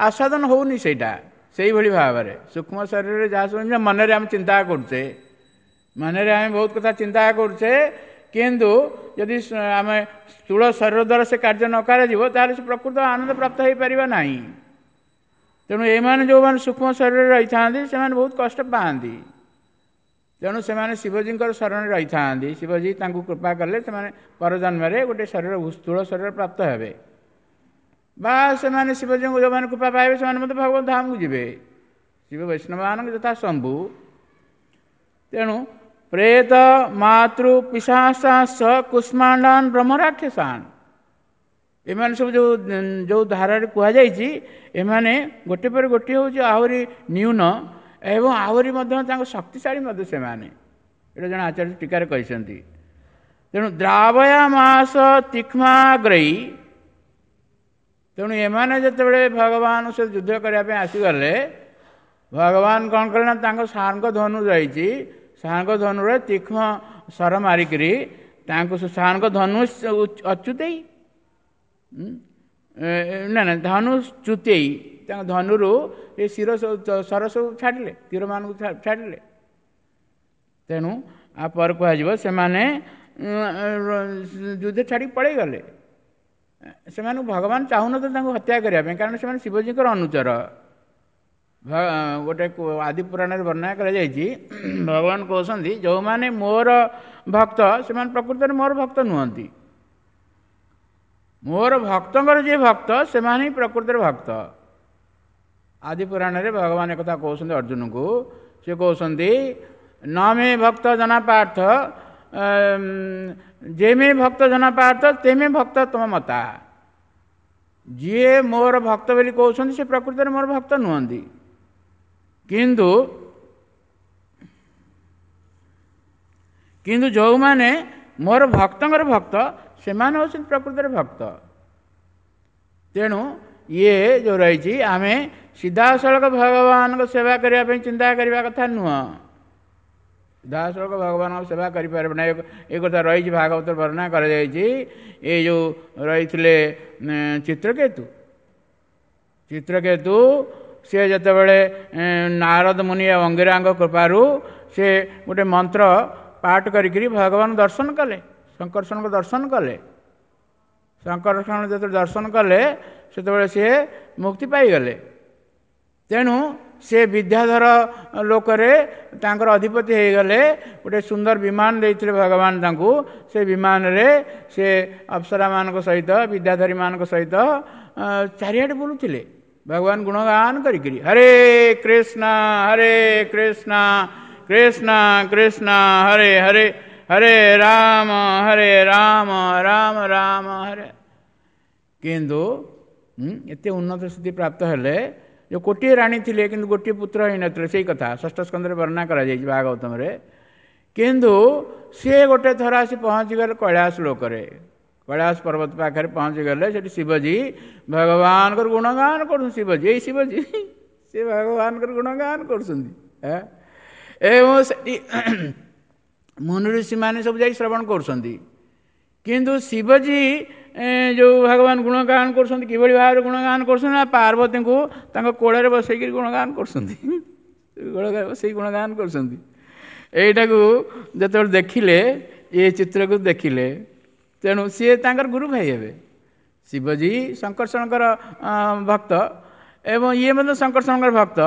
ଆସ୍ୱାଦନ ହେଉନି ସେଇଟା। ସେଇଭଳି ଭାବରେ ସୂକ୍ଷ୍ମ ଶରୀରରେ ଯାହା ସବୁ ମନରେ ଆମେ ଚିନ୍ତା କରୁଛେ, ମନରେ ଆମେ ବହୁତ କଥା ଚିନ୍ତା କରୁଛେ, କିନ୍ତୁ ଯଦି ଆମେ ସ୍ଥୂଳ ଶରୀର ଦ୍ୱାରା ସେ କାର୍ଯ୍ୟ ନ କରାଯିବ, ତାହେଲେ ସେ ପ୍ରକୃତ ଆନନ୍ଦ ପ୍ରାପ୍ତ ହୋଇପାରିବ ନାହିଁ। ତେଣୁ ଏମାନେ ଯେଉଁମାନେ ସୂକ୍ଷ୍ମ ଶରୀରରେ ରହିଥାନ୍ତି, ସେମାନେ ବହୁତ କଷ୍ଟ ପାଆନ୍ତି। ତେଣୁ ସେମାନେ ଶିବଜୀଙ୍କର ଶରଣରେ ରହିଥାନ୍ତି। ଶିବଜୀ ତାଙ୍କୁ କୃପା କଲେ ସେମାନେ ପରଜନ୍ମରେ ଗୋଟେ ଶରୀର, ସ୍ଥୂଳ ଶରୀର ପ୍ରାପ୍ତ ହେବେ, ବା ସେମାନେ ଶିବଜୀଙ୍କୁ ଯେଉଁମାନେ କୃପା ପାଇବେ ସେମାନେ ମଧ୍ୟ ଭଗବତ ଧାମକୁ ଯିବେ। ଶିବ ବୈଷ୍ଣବମାନଙ୍କ ଯଥା ଶମ୍ଭୁ। ତେଣୁ ପ୍ରେତ ମାତୃ ପିଶାଚାସ କୁଷ୍ମାଣ୍ଡାନ ବ୍ରହ୍ମରାକ୍ଷସାନ, ଏମାନେ ସବୁ ଯେଉଁ ଯେଉଁ ଧାରାରେ କୁହାଯାଇଛି, ଏମାନେ ଗୋଟେ ପରେ ଗୋଟିଏ ହେଉଛି ଆହୁରି ନ୍ୟୁନ ଏବଂ ଆହୁରି ମଧ୍ୟ ତାଙ୍କ ଶକ୍ତିଶାଳୀ ମଧ୍ୟ ସେମାନେ। ଏଇଟା ଜଣେ ଆଚାର୍ଯ୍ୟ ଟୀକାରେ କହିଛନ୍ତି। ତେଣୁ ଦ୍ରାବୟା ମାସ ତୀକ୍ଷ୍ମାଗ୍ରହୀ, ତେଣୁ ଏମାନେ ଯେତେବେଳେ ଭଗବାନ ସେ ଯୁଦ୍ଧ କରିବା ପାଇଁ ଆସିଗଲେ, ଭଗବାନ କ'ଣ କଲେ ନା ତାଙ୍କ ସାର୍ଙ୍କ ଧନୁ ରହିଛି, ସାର୍ଙ୍କ ଧନୁରେ ତୀକ୍ଷ୍ମ ଶର ମାରିକିରି ତାଙ୍କୁ ସାର୍ଙ୍କ ଧନୁ ଅଚ୍ୟୁତେଇ ନା ନା ଧନୁ ଚ୍ୟୁତେଇ, ତାଙ୍କ ଧନୁରୁ ଏ ଶିର ଶର ସବୁ ଛାଡ଼ିଲେ, ତୀରମାନଙ୍କୁ ଛାଡ଼ିଲେ। ତେଣୁ ଆଉ ପରେ କୁହାଯିବ ସେମାନେ ଯୁଦ୍ଧ ଛାଡ଼ିକି ପଳେଇଗଲେ। ସେମାନଙ୍କୁ ଭଗବାନ ଚାହୁଁନଥିଲେ ତାଙ୍କୁ ହତ୍ୟା କରିବା ପାଇଁ, କାରଣ ସେମାନେ ଶିବଜୀଙ୍କର ଅନୁଚର। ଗୋଟେ ଆଦି ପୁରାଣରେ ବର୍ଣ୍ଣନା କରାଯାଇଛି, ଭଗବାନ କହୁଛନ୍ତି ଯେଉଁମାନେ ମୋର ଭକ୍ତ ସେମାନେ ପ୍ରକୃତରେ ମୋର ଭକ୍ତ ନୁହନ୍ତି, ମୋର ଭକ୍ତଙ୍କର ଯିଏ ଭକ୍ତ ସେମାନେ ହିଁ ପ୍ରକୃତରେ ଭକ୍ତ। ଆଦି ପୁରାଣରେ ଭଗବାନ ଏକଥା କହୁଛନ୍ତି ଅର୍ଜୁନଙ୍କୁ। ସେ କହୁଛନ୍ତି ନ ମେ ଭକ୍ତ ଜନା ପାର୍ଥ, ଯେ ମେ ଭକ୍ତ ଜନା ପାର୍ଥ ତେ ମେ ଭକ୍ତ ତୁମ ମତା। ଯିଏ ମୋର ଭକ୍ତ ବୋଲି କହୁଛନ୍ତି ସେ ପ୍ରକୃତରେ ମୋର ଭକ୍ତ ନୁହନ୍ତି, କିନ୍ତୁ କିନ୍ତୁ ଯେଉଁମାନେ ମୋର ଭକ୍ତଙ୍କର ଭକ୍ତ ସେମାନେ ହେଉଛନ୍ତି ପ୍ରକୃତରେ ଭକ୍ତ। ତେଣୁ ଇଏ ଯେଉଁ ରହିଛି, ଆମେ ସିଧାସଳଖ ଭଗବାନଙ୍କ ସେବା କରିବା ପାଇଁ ଚିନ୍ତା କରିବା କଥା ନୁହଁ। ସିଧାସଳଖ ଭଗବାନଙ୍କ ସେବା କରିପାରିବ ନାହିଁ, ଏ କଥା ରହିଛି ଭାଗବତ ବର୍ଣ୍ଣନା କରାଯାଇଛି। ଏ ଯେଉଁ ରହିଥିଲେ ଚିତ୍ରକେତୁ, ଚିତ୍ରକେତୁ ସିଏ ଯେତେବେଳେ ନାରଦ ମୁନି ଆଉ ଅଙ୍ଗିରାଙ୍କ କୃପାରୁ ସେ ଗୋଟେ ମନ୍ତ୍ର ପାଠ କରିକିରି ଭଗବାନ ଦର୍ଶନ କଲେ, ଶଙ୍କର୍ଷଣଙ୍କ ଦର୍ଶନ କଲେ। ଶଙ୍କର୍ଷଣ ଯେତେବେଳେ ଦର୍ଶନ କଲେ ସେତେବେଳେ ସିଏ ମୁକ୍ତି ପାଇଗଲେ। ତେଣୁ ସେ ବିଦ୍ୟାଧର ଲୋକରେ ତାଙ୍କର ଅଧିପତି ହେଇଗଲେ। ଗୋଟେ ସୁନ୍ଦର ବିମାନ ଦେଇଥିଲେ ଭଗବାନ ତାଙ୍କୁ, ସେ ବିମାନରେ ସେ ଅପ୍ସରାମାନଙ୍କ ସହିତ ବିଦ୍ୟାଧରୀମାନଙ୍କ ସହିତ ଚାରିଆଡ଼େ ବୁଲୁଥିଲେ ଭଗବାନ ଗୁଣଗାନ କରିକିରି। ହରେ କୃଷ୍ଣ ହରେ କୃଷ୍ଣ କୃଷ୍ଣ କୃଷ୍ଣ ହରେ ହରେ ହରେ ରାମ ହରେ ରାମ ରାମ ରାମ ହରେ। କିନ୍ତୁ ଏତେ ଉନ୍ନତ ସ୍ଥିତି ପ୍ରାପ୍ତ ହେଲେ, ଯେଉଁ ଗୋଟିଏ ରାଣୀ ଥିଲେ କିନ୍ତୁ ଗୋଟିଏ ପୁତ୍ର ହେଇନଥିଲେ, ସେଇ କଥା ଷଷ୍ଠ ସ୍କନ୍ଧରେ ବର୍ଣ୍ଣନା କରାଯାଇଛି ଭାଗବତମରେ। କିନ୍ତୁ ସିଏ ଗୋଟେ ଥର ଆସି ପହଞ୍ଚିଗଲେ କୈଳାସ ଲୋକରେ, କୈଳାସ ପର୍ବତ ପାଖରେ ପହଞ୍ଚିଗଲେ। ସେଠି ଶିବଜୀ ଭଗବାନଙ୍କର ଗୁଣଗାନ କରୁଛନ୍ତି। ଶିବଜୀ, ଏଇ ଶିବଜୀ ସେ ଭଗବାନଙ୍କର ଗୁଣଗାନ କରୁଛନ୍ତି ଏବଂ ସେଠି ମୁନି ଋଷିମାନେ ସବୁ ଯାଇ ଶ୍ରବଣ କରୁଛନ୍ତି। କିନ୍ତୁ ଶିବଜୀ ଯେଉଁ ଭଗବାନ ଗୁଣଗାନ କରୁଛନ୍ତି, କିଭଳି ଭାବରେ ଗୁଣଗାନ କରୁଛନ୍ତି ନା ପାର୍ବତୀଙ୍କୁ ତାଙ୍କ କୋଳରେ ବସେଇକିରି ଗୁଣଗାନ କରୁଛନ୍ତି, ବସେଇ ଗୁଣଗାନ କରୁଛନ୍ତି। ଏଇଟାକୁ ଯେତେବେଳେ ଦେଖିଲେ, ଏ ଚିତ୍ରକୁ ଦେଖିଲେ, ତେଣୁ ସିଏ ତାଙ୍କର ଗୁରୁ ଭାଇ ହେବେ। ଶିବଜୀ ଶଙ୍କର୍ଷଣଙ୍କର ଭକ୍ତ ଏବଂ ଇଏ ମଧ୍ୟ ଶଙ୍କର୍ଷଣଙ୍କର ଭକ୍ତ।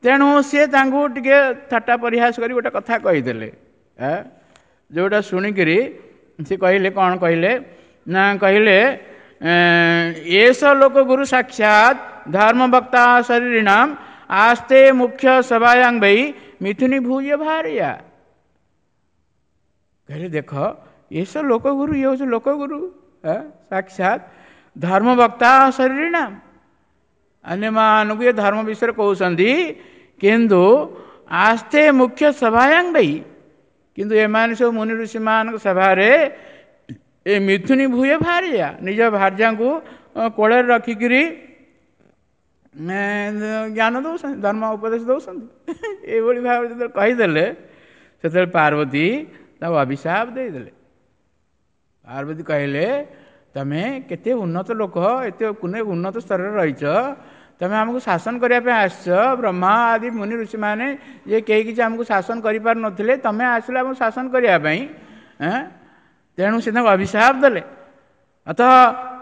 ତେଣୁ ସିଏ ତାଙ୍କୁ ଟିକେ ଥଟ୍ଟା ପରିହାସ କରି ଗୋଟେ କଥା କହିଦେଲେ, ଯେଉଁଟା ଶୁଣିକିରି ସେ କହିଲେ, କ'ଣ କହିଲେ ନା କହିଲେ, ଏସ ଲୋକ ଗୁରୁ ସାକ୍ଷାତ ଧର୍ମବକ୍ତା ଶରୀରିଣାମ ଆସ୍ତେ ମୁଖ୍ୟ ସଭାୟାଂ ବୈ ମିଥୁନୀ ଭୂୟ ଭାରିଆ। କହିଲେ ଦେଖ, ଏସ ଲୋକଗୁରୁ, ଇଏ ହେଉଛି ଲୋକଗୁରୁ ସାକ୍ଷାତ ଧର୍ମବକ୍ତା ଶରୀରିଣାମ, ଅନ୍ୟମାନଙ୍କୁ ଏ ଧର୍ମ ବିଷୟରେ କହୁଛନ୍ତି, କିନ୍ତୁ ଆସ୍ତେ ମୁଖ୍ୟ ସଭାୟାଂ ବୈ, କିନ୍ତୁ ଏମାନେ ସବୁ ମୁନି ଋଷିମାନଙ୍କ ସଭାରେ ଏ ମିଥୁନୀ ଭୂୟ ଭାରିଆ, ନିଜ ଭାର୍ଯ୍ୟାଙ୍କୁ କୋଳରେ ରଖିକିରି ଜ୍ଞାନ ଦେଉଛନ୍ତି, ଧର୍ମ ଉପଦେଶ ଦେଉଛନ୍ତି। ଏଇଭଳି ଭାବରେ ଯେତେବେଳେ କହିଦେଲେ, ସେତେବେଳେ ପାର୍ବତୀ ତାକୁ ଅଭିଶାପ ଦେଇଦେଲେ। ପାର୍ବତୀ କହିଲେ, ତମେ କେତେ ଉନ୍ନତ ଲୋକ, ଏତେ ଉନ୍ନତ ସ୍ତରରେ ରହିଛ, ତମେ ଆମକୁ ଶାସନ କରିବା ପାଇଁ ଆସିଛ। ବ୍ରହ୍ମା ଆଦି ମୁନି ଋଷିମାନେ ଯେ କେହି କିଛି ଆମକୁ ଶାସନ କରିପାରୁନଥିଲେ, ତମେ ଆସିଲ ଆମକୁ ଶାସନ କରିବା ପାଇଁ। ତେଣୁ ସେ ତାଙ୍କୁ ଅଭିଶାପ ଦେଲେ। ଅତ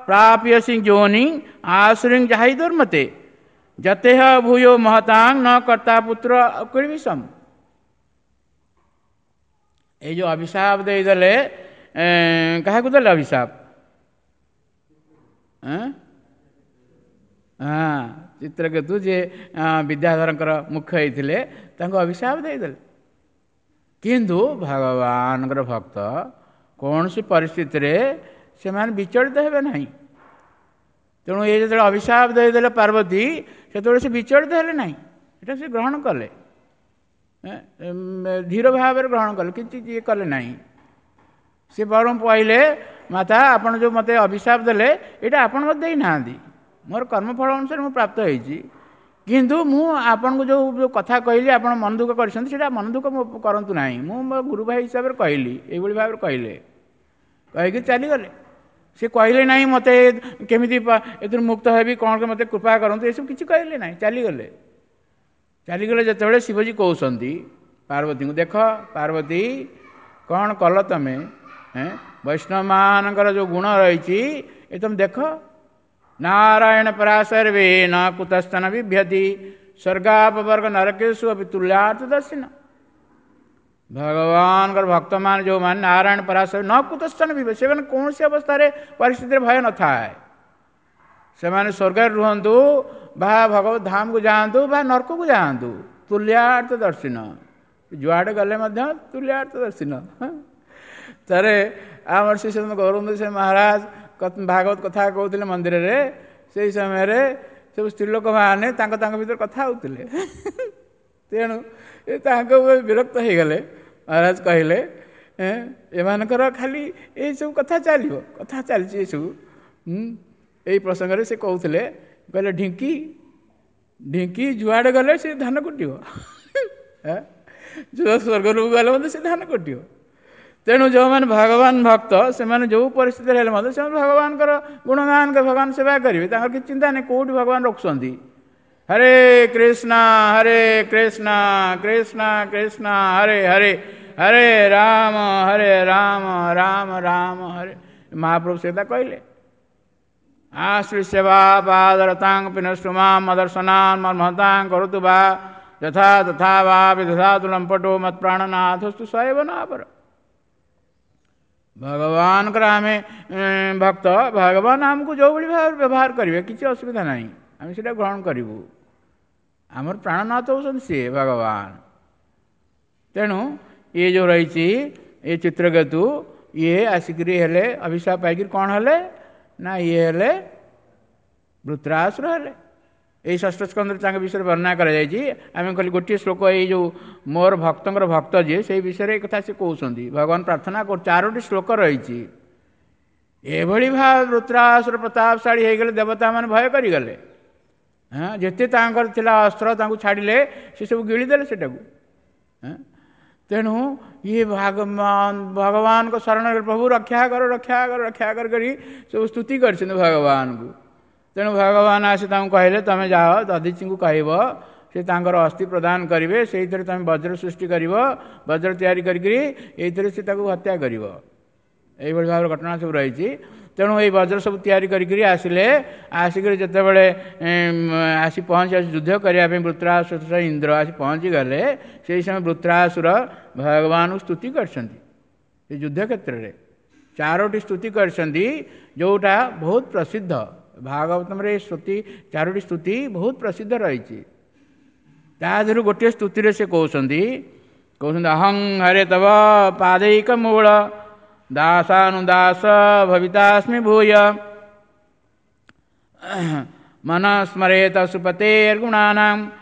ପ୍ରାପ୍ୟସି ଯୋନି ଆସୁରିଂ ଯାହି ଦୁର୍ମତେ ଯତେହ ଭୂୟୋ ମହତାଂ ନ କର୍ତ୍ତା ପୁତ୍ର କିଳିବିଷମ। ଏଇ ଯେଉଁ ଅଭିଶାପ ଦେଇଦେଲେ, କାହାକୁ ଦେଲେ ଅଭିଶାପ? ହଁ, ଚିତ୍ରକେତୁ ଯିଏ ବିଦ୍ୟାଧରଙ୍କର ମୁଖ୍ୟ ହେଇଥିଲେ, ତାଙ୍କୁ ଅଭିଶାପ ଦେଇଦେଲେ। କିନ୍ତୁ ଭଗବାନଙ୍କର ଭକ୍ତ କୌଣସି ପରିସ୍ଥିତିରେ ସେମାନେ ବିଚଳିତ ହେବେ ନାହିଁ। ତେଣୁ ଏ ଯେତେବେଳେ ଅଭିଶାପ ଦେଇଦେଲେ ପାର୍ବତୀ, ସେତେବେଳେ ସେ ବିଚଳିତ ହେଲେ ନାହିଁ, ଏଟା ସେ ଗ୍ରହଣ କଲେ, ଧୀର ଭାବରେ ଗ୍ରହଣ କଲେ, କିଛି ଇଏ କଲେ ନାହିଁ। ସେ ବରଂ କହିଲେ, ମାତା ଆପଣ ଯେଉଁ ମୋତେ ଅଭିଶାପ ଦେଲେ, ଏଇଟା ଆପଣ ମୋତେ ଦେଇନାହାନ୍ତି, ମୋର କର୍ମଫଳ ଅନୁସାରେ ମୁଁ ପ୍ରାପ୍ତ ହେଇଛି। କିନ୍ତୁ ମୁଁ ଆପଣଙ୍କୁ ଯେଉଁ କଥା କହିଲି ଆପଣ ମନ ଦୁଃଖ କରିଛନ୍ତି, ସେଇଟା ମନ ଦୁଃଖ କରନ୍ତୁ ନାହିଁ, ମୁଁ ମୋ ଗୁରୁ ଭାଇ ହିସାବରେ କହିଲି। ଏଇଭଳି ଭାବରେ କହିଲେ, କହିକି ଚାଲିଗଲେ। ସେ କହିଲେ ନାହିଁ ମୋତେ କେମିତି ଏଥିରୁ ମୁକ୍ତ ହେବି, କ'ଣ ମୋତେ କୃପା କରନ୍ତୁ, ଏସବୁ କିଛି କହିଲେ ନାହିଁ, ଚାଲିଗଲେ। ଚାଲିଗଲେ ଯେତେବେଳେ ଶିବଜୀ କହୁଛନ୍ତି ପାର୍ବତୀଙ୍କୁ, ଦେଖ ପାର୍ବତୀ କ'ଣ କଲ ତମେ, ବୈଷ୍ଣବମାନଙ୍କର ଯେଉଁ ଗୁଣ ରହିଛି ଏ ତମେ ଦେଖ। ନାରାୟଣ ପରାଶର୍ବେ ନ କୁତସ୍ତନ ବିଭ୍ୟତି ସ୍ୱର୍ଗାପବର୍ଗ ନରକେଶୁ ଅପି ତୁଲ୍ୟାର୍ଥ ଦର୍ଶିନ। ଭଗବାନଙ୍କର ଭକ୍ତମାନେ ଯେଉଁମାନେ ନାରାୟଣ ପରାଶର ନ କୁତସ୍ତନ ବିଭ୍ୟତି, ସେମାନେ କୌଣସି ଅବସ୍ଥାରେ ପରିସ୍ଥିତିରେ ଭୟ ନଥାଏ। ସେମାନେ ସ୍ୱର୍ଗରେ ରୁହନ୍ତୁ ବା ଭଗବତ ଧାମକୁ ଯାଆନ୍ତୁ ବା ନର୍କକୁ ଯାଆନ୍ତୁ, ତୁଲ୍ୟାର୍ଥ ଦର୍ଶିନ, ଯୁଆଡ଼େ ଗଲେ ମଧ୍ୟ ତୁଲ୍ୟାର୍ଥ ଦର୍ଶିନ। ଥରେ ଆମର ଶ୍ରୀ ଶ୍ରୀ ଗୌରବନ୍ଧୁ ସେ ମହାରାଜ ଭାଗବତ କଥା କହୁଥିଲେ ମନ୍ଦିରରେ, ସେଇ ସମୟରେ ସବୁ ସ୍ତ୍ରୀ ଲୋକମାନେ ତାଙ୍କ ତାଙ୍କ ଭିତରେ କଥା ହେଉଥିଲେ। ତେଣୁ ତାଙ୍କ ବିରକ୍ତ ହେଇଗଲେ। ମହାରାଜ କହିଲେ, ଏମାନଙ୍କର ଖାଲି ଏଇସବୁ କଥା ଚାଲିବ, କଥା ଚାଲିଛି ଏସବୁ। ଏଇ ପ୍ରସଙ୍ଗରେ ସେ କହୁଥିଲେ, କହିଲେ ଢିଙ୍କି ଢିଙ୍କି ଯୁଆଡ଼େ ଗଲେ ସେ ଧାନ କୁଟିବ, ଯେଉଁ ସ୍ୱର୍ଗକୁ ଗଲେ ମଧ୍ୟ ସେ ଧାନ କୁଟିବ। ତେଣୁ ଯେଉଁମାନେ ଭଗବାନ ଭକ୍ତ, ସେମାନେ ଯେଉଁ ପରିସ୍ଥିତିରେ ହେଲେ ମଧ୍ୟ ସେମାନେ ଭଗବାନଙ୍କର ଗୁଣଗାନ, ଭଗବାନ ସେବା କରିବେ, ତାଙ୍କର କିଛି ଚିନ୍ତା ନାହିଁ କେଉଁଠି ଭଗବାନ ରଖୁଛନ୍ତି। ହରେ କୃଷ୍ଣ ହରେ କୃଷ୍ଣ କୃଷ୍ଣ କୃଷ୍ଣ ହରେ ହରେ ହରେ ରାମ ହରେ ରାମ ରାମ ରାମ ହରେ। ମହାପ୍ରଭୁ ସେ କଥା କହିଲେ। ଆଶ୍ରୀ ସେବା ପାଦରତାଂ ପିନଷ୍ଟୁମାಂ ମଦର୍ଶନାନ୍ ମର୍ମହତାଂ କରୁତୁ ବା ଯଥା ତଥା ବା ବିଦଧାତୁ ଲମ୍ପଟୋ ମତ୍ପ୍ରାଣନାଥସ୍ତୁ ସୈବ ନାପର। ଭଗବାନଙ୍କର ଆମେ ଭକ୍ତ, ଭଗବାନ ଆମକୁ ଯେଉଁଭଳି ଭାବରେ ବ୍ୟବହାର କରିବେ କିଛି ଅସୁବିଧା ନାହିଁ, ଆମେ ସେଇଟା ଗ୍ରହଣ କରିବୁ। ଆମର ପ୍ରାଣନାଥ ହେଉଛନ୍ତି ସିଏ ଭଗବାନ। ତେଣୁ ଇଏ ଯେଉଁ ରହିଛି ଏ ଚିତ୍ରକେତୁ, ଇଏ ଆସିକରି ହେଲେ ଅଭିଶାପ ପାଇକରି କ'ଣ ହେଲେ ନା ଇଏ ହେଲେ ବୃତ୍ରାସୁର ହେଲେ। ଏଇ ଷଷ୍ଠ ସ୍କନ୍ଧରେ ତାଙ୍କ ବିଷୟରେ ବର୍ଣ୍ଣନା କରାଯାଇଛି। ଆମେ କହିଲି ଗୋଟିଏ ଶ୍ଲୋକ, ଏଇ ଯେଉଁ ମୋର ଭକ୍ତଙ୍କର ଭକ୍ତ ଯିଏ, ସେଇ ବିଷୟରେ ଏ କଥା ସେ କହୁଛନ୍ତି। ଭଗବାନ ପ୍ରାର୍ଥନା କରୁ 4ଟି ଶ୍ଲୋକ ରହିଛି। ଏଭଳି ଭାବେ ବୃତ୍ରାସୁର ପ୍ରତାପଶାଳୀ ହେଇଗଲେ, ଦେବତାମାନେ ଭୟ କରିଗଲେ। ହଁ, ଯେତେ ତାଙ୍କର ଥିଲା ଅସ୍ତ୍ର ତାଙ୍କୁ ଛାଡ଼ିଲେ, ସେ ସବୁ ଗିଳିଦେଲେ ସେଟାକୁ। ତେଣୁ ଇଏ ଭଗବାନଙ୍କ ଶରଣରେ ପ୍ରଭୁ ରକ୍ଷା କର, ରକ୍ଷା କର, ରକ୍ଷା କର କରି ସବୁ ସ୍ତୁତି କରିଛନ୍ତି ଭଗବାନଙ୍କୁ। ତେଣୁ ଭଗବାନ ଆସି ତାଙ୍କୁ କହିଲେ, ତମେ ଯାଅ ଦଧିଚିଙ୍କୁ କହିବ, ସେ ତାଙ୍କର ଅସ୍ଥି ପ୍ରଦାନ କରିବେ, ସେଇଥିରେ ତମେ ବଜ୍ର ସୃଷ୍ଟି କରିବ, ବଜ୍ର ତିଆରି କରିକିରି ଏଇଥିରେ ସେ ତାକୁ ହତ୍ୟା କରିବ। ଏଇଭଳି ଭାବରେ ଘଟଣା ସବୁ ରହିଛି। ତେଣୁ ଏଇ ବଜ୍ର ସବୁ ତିଆରି କରିକିରି ଆସିଲେ। ଆସିକରି ଯେତେବେଳେ ଆସି ପହଞ୍ଚି ଆସି ଯୁଦ୍ଧ କରିବା ପାଇଁ ବୃତ୍ରାସୁର ଇନ୍ଦ୍ର ଆସି ପହଞ୍ଚିଗଲେ, ସେଇ ସମୟ ବୃତ୍ରାସୁର ଭଗବାନଙ୍କୁ ସ୍ତୁତି କରିଛନ୍ତି। ସେ ଯୁଦ୍ଧ କ୍ଷେତ୍ରରେ 4ଟି ସ୍ତୁତି କରିଛନ୍ତି, ଯେଉଁଟା ବହୁତ ପ୍ରସିଦ୍ଧ। ଭାଗବତମରେ ଏ ସ୍ତୁତି, 4ଟି ସ୍ତୁତି ବହୁତ ପ୍ରସିଦ୍ଧ ରହିଛି। ତା ଦେହରୁ ଗୋଟିଏ ସ୍ତୁତିରେ ସେ କହୁଛନ୍ତି, ଅହଂ ହରେ ତବ ପାଦୈକ ମୂଳ ଦାସାନୁଦାସ ଭବିତାସ୍ମି ଭୂୟ ମନ ସ୍ମରେତ ସୁପତେର୍ଗୁଣାନାಂ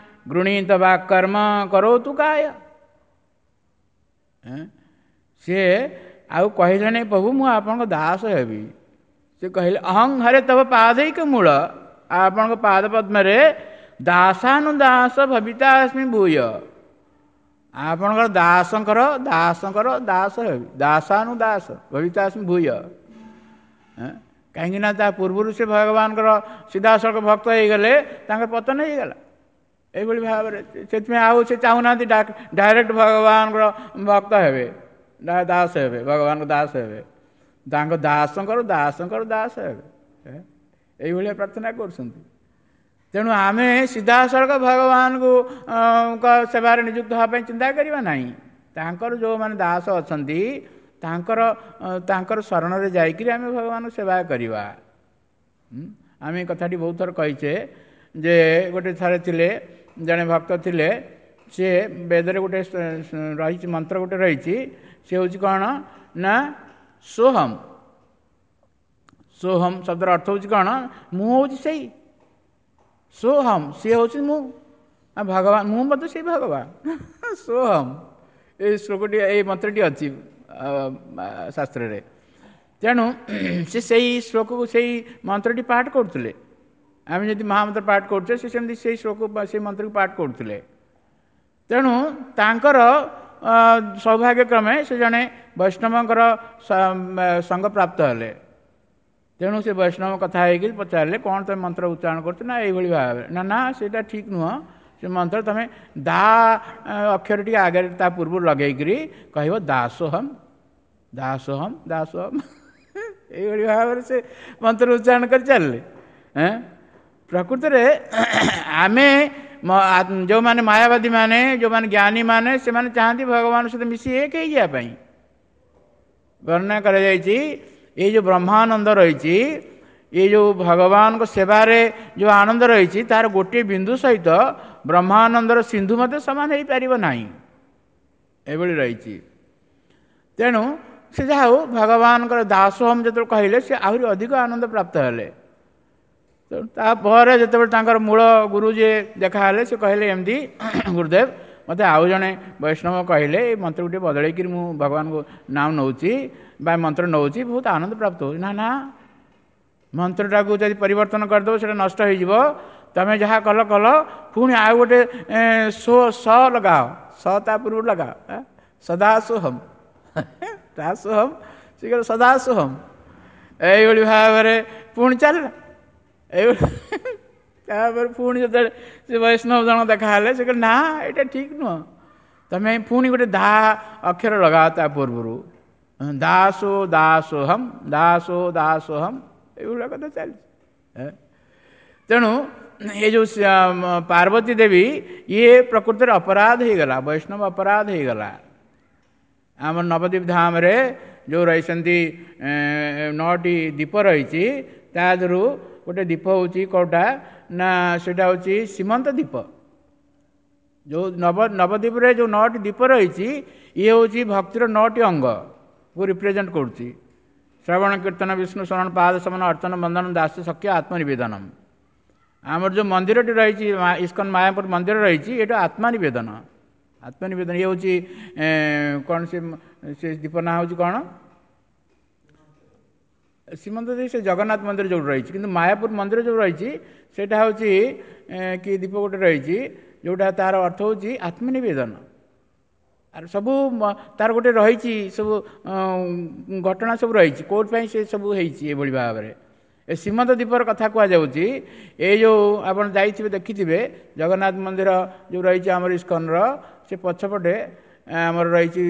ଗୃଣୀତ ବାକର୍ମ କରୋତୁ କାୟ। ସିଏ ଆଉ କହିଲେ ନାହିଁ ପ୍ରଭୁ ମୁଁ ଆପଣଙ୍କ ଦାସ ହେବି। ସେ କହିଲେ ଅହଂ ହରେ ତବ ପାଦୈକ ମୂଳ, ଆପଣଙ୍କ ପାଦ ପଦ୍ମରେ ଦାସାନୁଦାସ ଭବିତାସ୍ମି ଭୂୟ, ଆପଣଙ୍କର ଦାସଙ୍କର ଦାସଙ୍କର ଦାସ ହେବି, ଦାସାନୁଦାସ ଭବିତାସ୍ମି ଭୂୟ। କାହିଁକି ନା ତା ପୂର୍ବରୁ ସେ ଭଗବାନଙ୍କର ସିଧାସଳଖ ଭକ୍ତ ହେଇଗଲେ, ତାଙ୍କର ପତନ ହେଇଗଲା ଏଇଭଳି ଭାବରେ। ସେଥିପାଇଁ ଆଉ ସେ ଚାହୁଁନାହାନ୍ତି ଡାଇରେକ୍ଟ ଭଗବାନଙ୍କର ଭକ୍ତ ହେବେ, ଦାସ ହେବେ, ଭଗବାନଙ୍କ ଦାସ ହେବେ, ତାଙ୍କ ଦାସଙ୍କର ଦାସଙ୍କର ଦାସ ହେବେ, ଏଇଭଳିଆ ପ୍ରାର୍ଥନା କରୁଛନ୍ତି। ତେଣୁ ଆମେ ସିଧାସଳଖ ଭଗବାନଙ୍କୁ ସେବାରେ ନିଯୁକ୍ତ ହେବା ପାଇଁ ଚିନ୍ତା କରିବା ନାହିଁ। ତାଙ୍କର ଯେଉଁମାନେ ଦାସ ଅଛନ୍ତି ତାଙ୍କର ତାଙ୍କର ଶରଣରେ ଯାଇକରି ଆମେ ଭଗବାନଙ୍କୁ ସେବା କରିବା। ଆମେ ଏ କଥାଟି ବହୁତ ଥର କହିଛେ ଯେ ଗୋଟେ ଥରେ ଥିଲେ ଜଣେ ଭକ୍ତ ଥିଲେ, ସିଏ ବେଦରେ ଗୋଟେ ରହିଛି ମନ୍ତ୍ର ଗୋଟେ ରହିଛି, ସେ ହେଉଛି କ'ଣ ନା ସୋହମ୍। ସୋହମ୍ ଶବ୍ଦର ଅର୍ଥ ହେଉଛି କ'ଣ? ମୁଁ ହେଉଛି ସେଇ ସୋହମ୍, ସିଏ ହେଉଛି ମୁଁ, ଭଗବାନ ମୁଁ ମଧ୍ୟ ସେଇ ଭଗବାନ। ସୋହମ୍ ଏଇ ଶ୍ଲୋକଟି, ଏଇ ମନ୍ତ୍ରଟି ଅଛି ଶାସ୍ତ୍ରରେ। ତେଣୁ ସେ ସେଇ ଶ୍ଲୋକକୁ, ସେଇ ମନ୍ତ୍ରଟି ପାଠ କରୁଥିଲେ। ଆମେ ଯଦି ମହାମନ୍ତ୍ର ପାଠ କରୁଛେ, ସେ ସେମିତି ସେଇ ଶ୍ଲୋକ, ସେଇ ମନ୍ତ୍ରକୁ ପାଠ କରୁଥିଲେ। ତେଣୁ ତାଙ୍କର ସୌଭାଗ୍ୟକ୍ରମେ ସେ ଜଣେ ବୈଷ୍ଣବଙ୍କର ସଙ୍ଗ ପ୍ରାପ୍ତ ହେଲେ। ତେଣୁ ସେ ବୈଷ୍ଣବ କଥା ହେଇକି ପଚାରିଲେ, କ'ଣ ତୁମେ ମନ୍ତ୍ର ଉଚ୍ଚାରଣ କରୁଛ? ନା ଏଇଭଳି ଭାବରେ। ନା ନା ସେଇଟା ଠିକ୍ ନୁହଁ, ସେ ମନ୍ତ୍ର ତୁମେ ଦା ଅକ୍ଷର ଟିକେ ଆଗରେ ତା ପୂର୍ବରୁ ଲଗେଇକିରି କହିବ ଦାସୋହମ୍ ଦାସୋହମ୍ ଦାସୋହମ୍। ଏଇଭଳି ଭାବରେ ସେ ମନ୍ତ୍ର ଉଚ୍ଚାରଣ କରି ଚାଲିଲେ। ପ୍ରକୃତରେ ଆମେ ଯେଉଁମାନେ ମାୟାବାଦୀ ମାନେ, ଯେଉଁମାନେ ଜ୍ଞାନୀ ମାନେ, ସେମାନେ ଚାହାନ୍ତି ଭଗବାନ ସହିତ ମିଶି ଏକ ହେଇଯିବା ପାଇଁ। ବର୍ଣ୍ଣନା କରାଯାଇଛି ଏଇ ଯେଉଁ ବ୍ରହ୍ମାନନ୍ଦ ରହିଛି, ଏଇ ଯେଉଁ ଭଗବାନଙ୍କ ସେବାରେ ଯେଉଁ ଆନନ୍ଦ ରହିଛି, ତାର ଗୋଟିଏ ବିନ୍ଦୁ ସହିତ ବ୍ରହ୍ମାନନ୍ଦର ସିନ୍ଧୁ ମଧ୍ୟ ସମାନ ହେଇପାରିବ ନାହିଁ, ଏଭଳି ରହିଛି। ତେଣୁ ସେ ଯାହା ହଉ ଭଗବାନଙ୍କର ଦାସୋହମ୍ ଯେତେବେଳେ କହିଲେ, ସେ ଆହୁରି ଅଧିକ ଆନନ୍ଦ ପ୍ରାପ୍ତ ହେଲେ। ତେଣୁ ତାପରେ ଯେତେବେଳେ ତାଙ୍କର ମୂଳ ଗୁରୁ ଯିଏ ଦେଖାହେଲେ, ସେ କହିଲେ ଏମିତି ଗୁରୁଦେବ ମୋତେ ଆଉ ଜଣେ ବୈଷ୍ଣବ କହିଲେ ଏଇ ମନ୍ତ୍ରକୁ ଟିକେ ବଦଳେଇକିରି ମୁଁ ଭଗବାନଙ୍କୁ ନାମ ନେଉଛି ବା ମନ୍ତ୍ର ନେଉଛି, ବହୁତ ଆନନ୍ଦ ପ୍ରାପ୍ତ ହେଉଛି। ନା ନା, ମନ୍ତ୍ରଟାକୁ ଯଦି ପରିବର୍ତ୍ତନ କରିଦେବ ସେଇଟା ନଷ୍ଟ ହେଇଯିବ, ତମେ ଯାହା କଲ କଲ, ପୁଣି ଆଉ ଗୋଟେ ସୋ ସ ଲଗାଅ, ସ ତା ପୂର୍ବରୁ ଲଗାଅ, ସଦାସୋହମ୍ ଦାସୋହମ୍, ସେ କହିଲେ ସଦାସୋହମ୍। ଏଇଭଳି ଭାବରେ ପୁଣି ଚାଲିଲା ଏଇଭଳି। ତାପରେ ପୁଣି ଯେତେବେଳେ ସେ ବୈଷ୍ଣବ ଜଣ ଦେଖାହେଲେ, ସେ କହିଲେ ନା ଏଇଟା ଠିକ୍ ନୁହଁ, ତମେ ପୁଣି ଗୋଟେ ଦା ଅକ୍ଷର ଲଗାଅ ତା ପୂର୍ବରୁ, ଦାସୋ ଦାସୋହମ୍ ଦାସୋ ଦାସୋହମ୍, ଏଇଭଳିଆ କଥା ଚାଲିଛି। ତେଣୁ ଏ ଯେଉଁ ପାର୍ବତୀ ଦେବୀ, ଇଏ ପ୍ରକୃତରେ ଅପରାଧ ହେଇଗଲା, ବୈଷ୍ଣବ ଅପରାଧ ହେଇଗଲା। ଆମ ନବଦ୍ୱୀପ ଧାମରେ ଯେଉଁ ରହିଛନ୍ତି 9ଟି ଦୀପ ରହିଛି, ତା ଦେହରୁ ଗୋଟେ ଦୀପ ହେଉଛି କେଉଁଟା ନା ସେଇଟା ହେଉଛି ସୀମନ୍ତ ଦୀପ। ଯେଉଁ ନବଦ୍ୱୀପରେ ଯେଉଁ 9ଟି ଦ୍ୱୀପ ରହିଛି, ଇଏ ହେଉଛି ଭକ୍ତିର 9ଟି ଅଙ୍ଗକୁ ରିପ୍ରେଜେଣ୍ଟ କରୁଛି। ଶ୍ରବଣ, କୀର୍ତ୍ତନ, ବିଷ୍ଣୁ ଶରଣ, ପାଦ ସମନ, ଅର୍ଚ୍ଚନ, ବନ୍ଦନ, ଦାସ, ସଖ୍ୟ, ଆତ୍ମନିବେଦନ। ଆମର ଯେଉଁ ମନ୍ଦିରଟି ରହିଛି, ଇସ୍କନ ମାୟାପୁର ମନ୍ଦିର ରହିଛି, ଏଇଟା ଆତ୍ମନିବେଦନ। ଆତ୍ମନିବେଦନ ଇଏ ହେଉଛି କ'ଣ? ସେ ଦ୍ୱୀପ ନାଁ ହେଉଛି କ'ଣ? ଶ୍ରୀମନ୍ଦିର, ସେ ଜଗନ୍ନାଥ ମନ୍ଦିର ଯେଉଁଠି ରହିଛି। କିନ୍ତୁ ମାୟାପୁର ମନ୍ଦିର ଯେଉଁ ରହିଛି, ସେଇଟା ହେଉଛି କି ଦ୍ୱୀପ ଗୋଟେ ରହିଛି, ଯେଉଁଟା ତାର ଅର୍ଥ ହେଉଛି ଆତ୍ମନିବେଦନ। ଆର ସବୁ ତାର ଗୋଟେ ରହିଛି, ସବୁ ଘଟଣା ସବୁ ରହିଛି, କୋଉଠି ପାଇଁ ସେ ସବୁ ହେଇଛି ଏଭଳି ଭାବରେ। ଏ ସୀମନ୍ତ ଦ୍ୱୀପର କଥା କୁହାଯାଉଛି। ଏଇ ଯେଉଁ ଆପଣ ଯାଇଥିବେ, ଦେଖିଥିବେ, ଜଗନ୍ନାଥ ମନ୍ଦିର ଯେଉଁ ରହିଛି ଆମର ଇସ୍କନର, ସେ ପଛପଟେ ଆମର ରହିଛି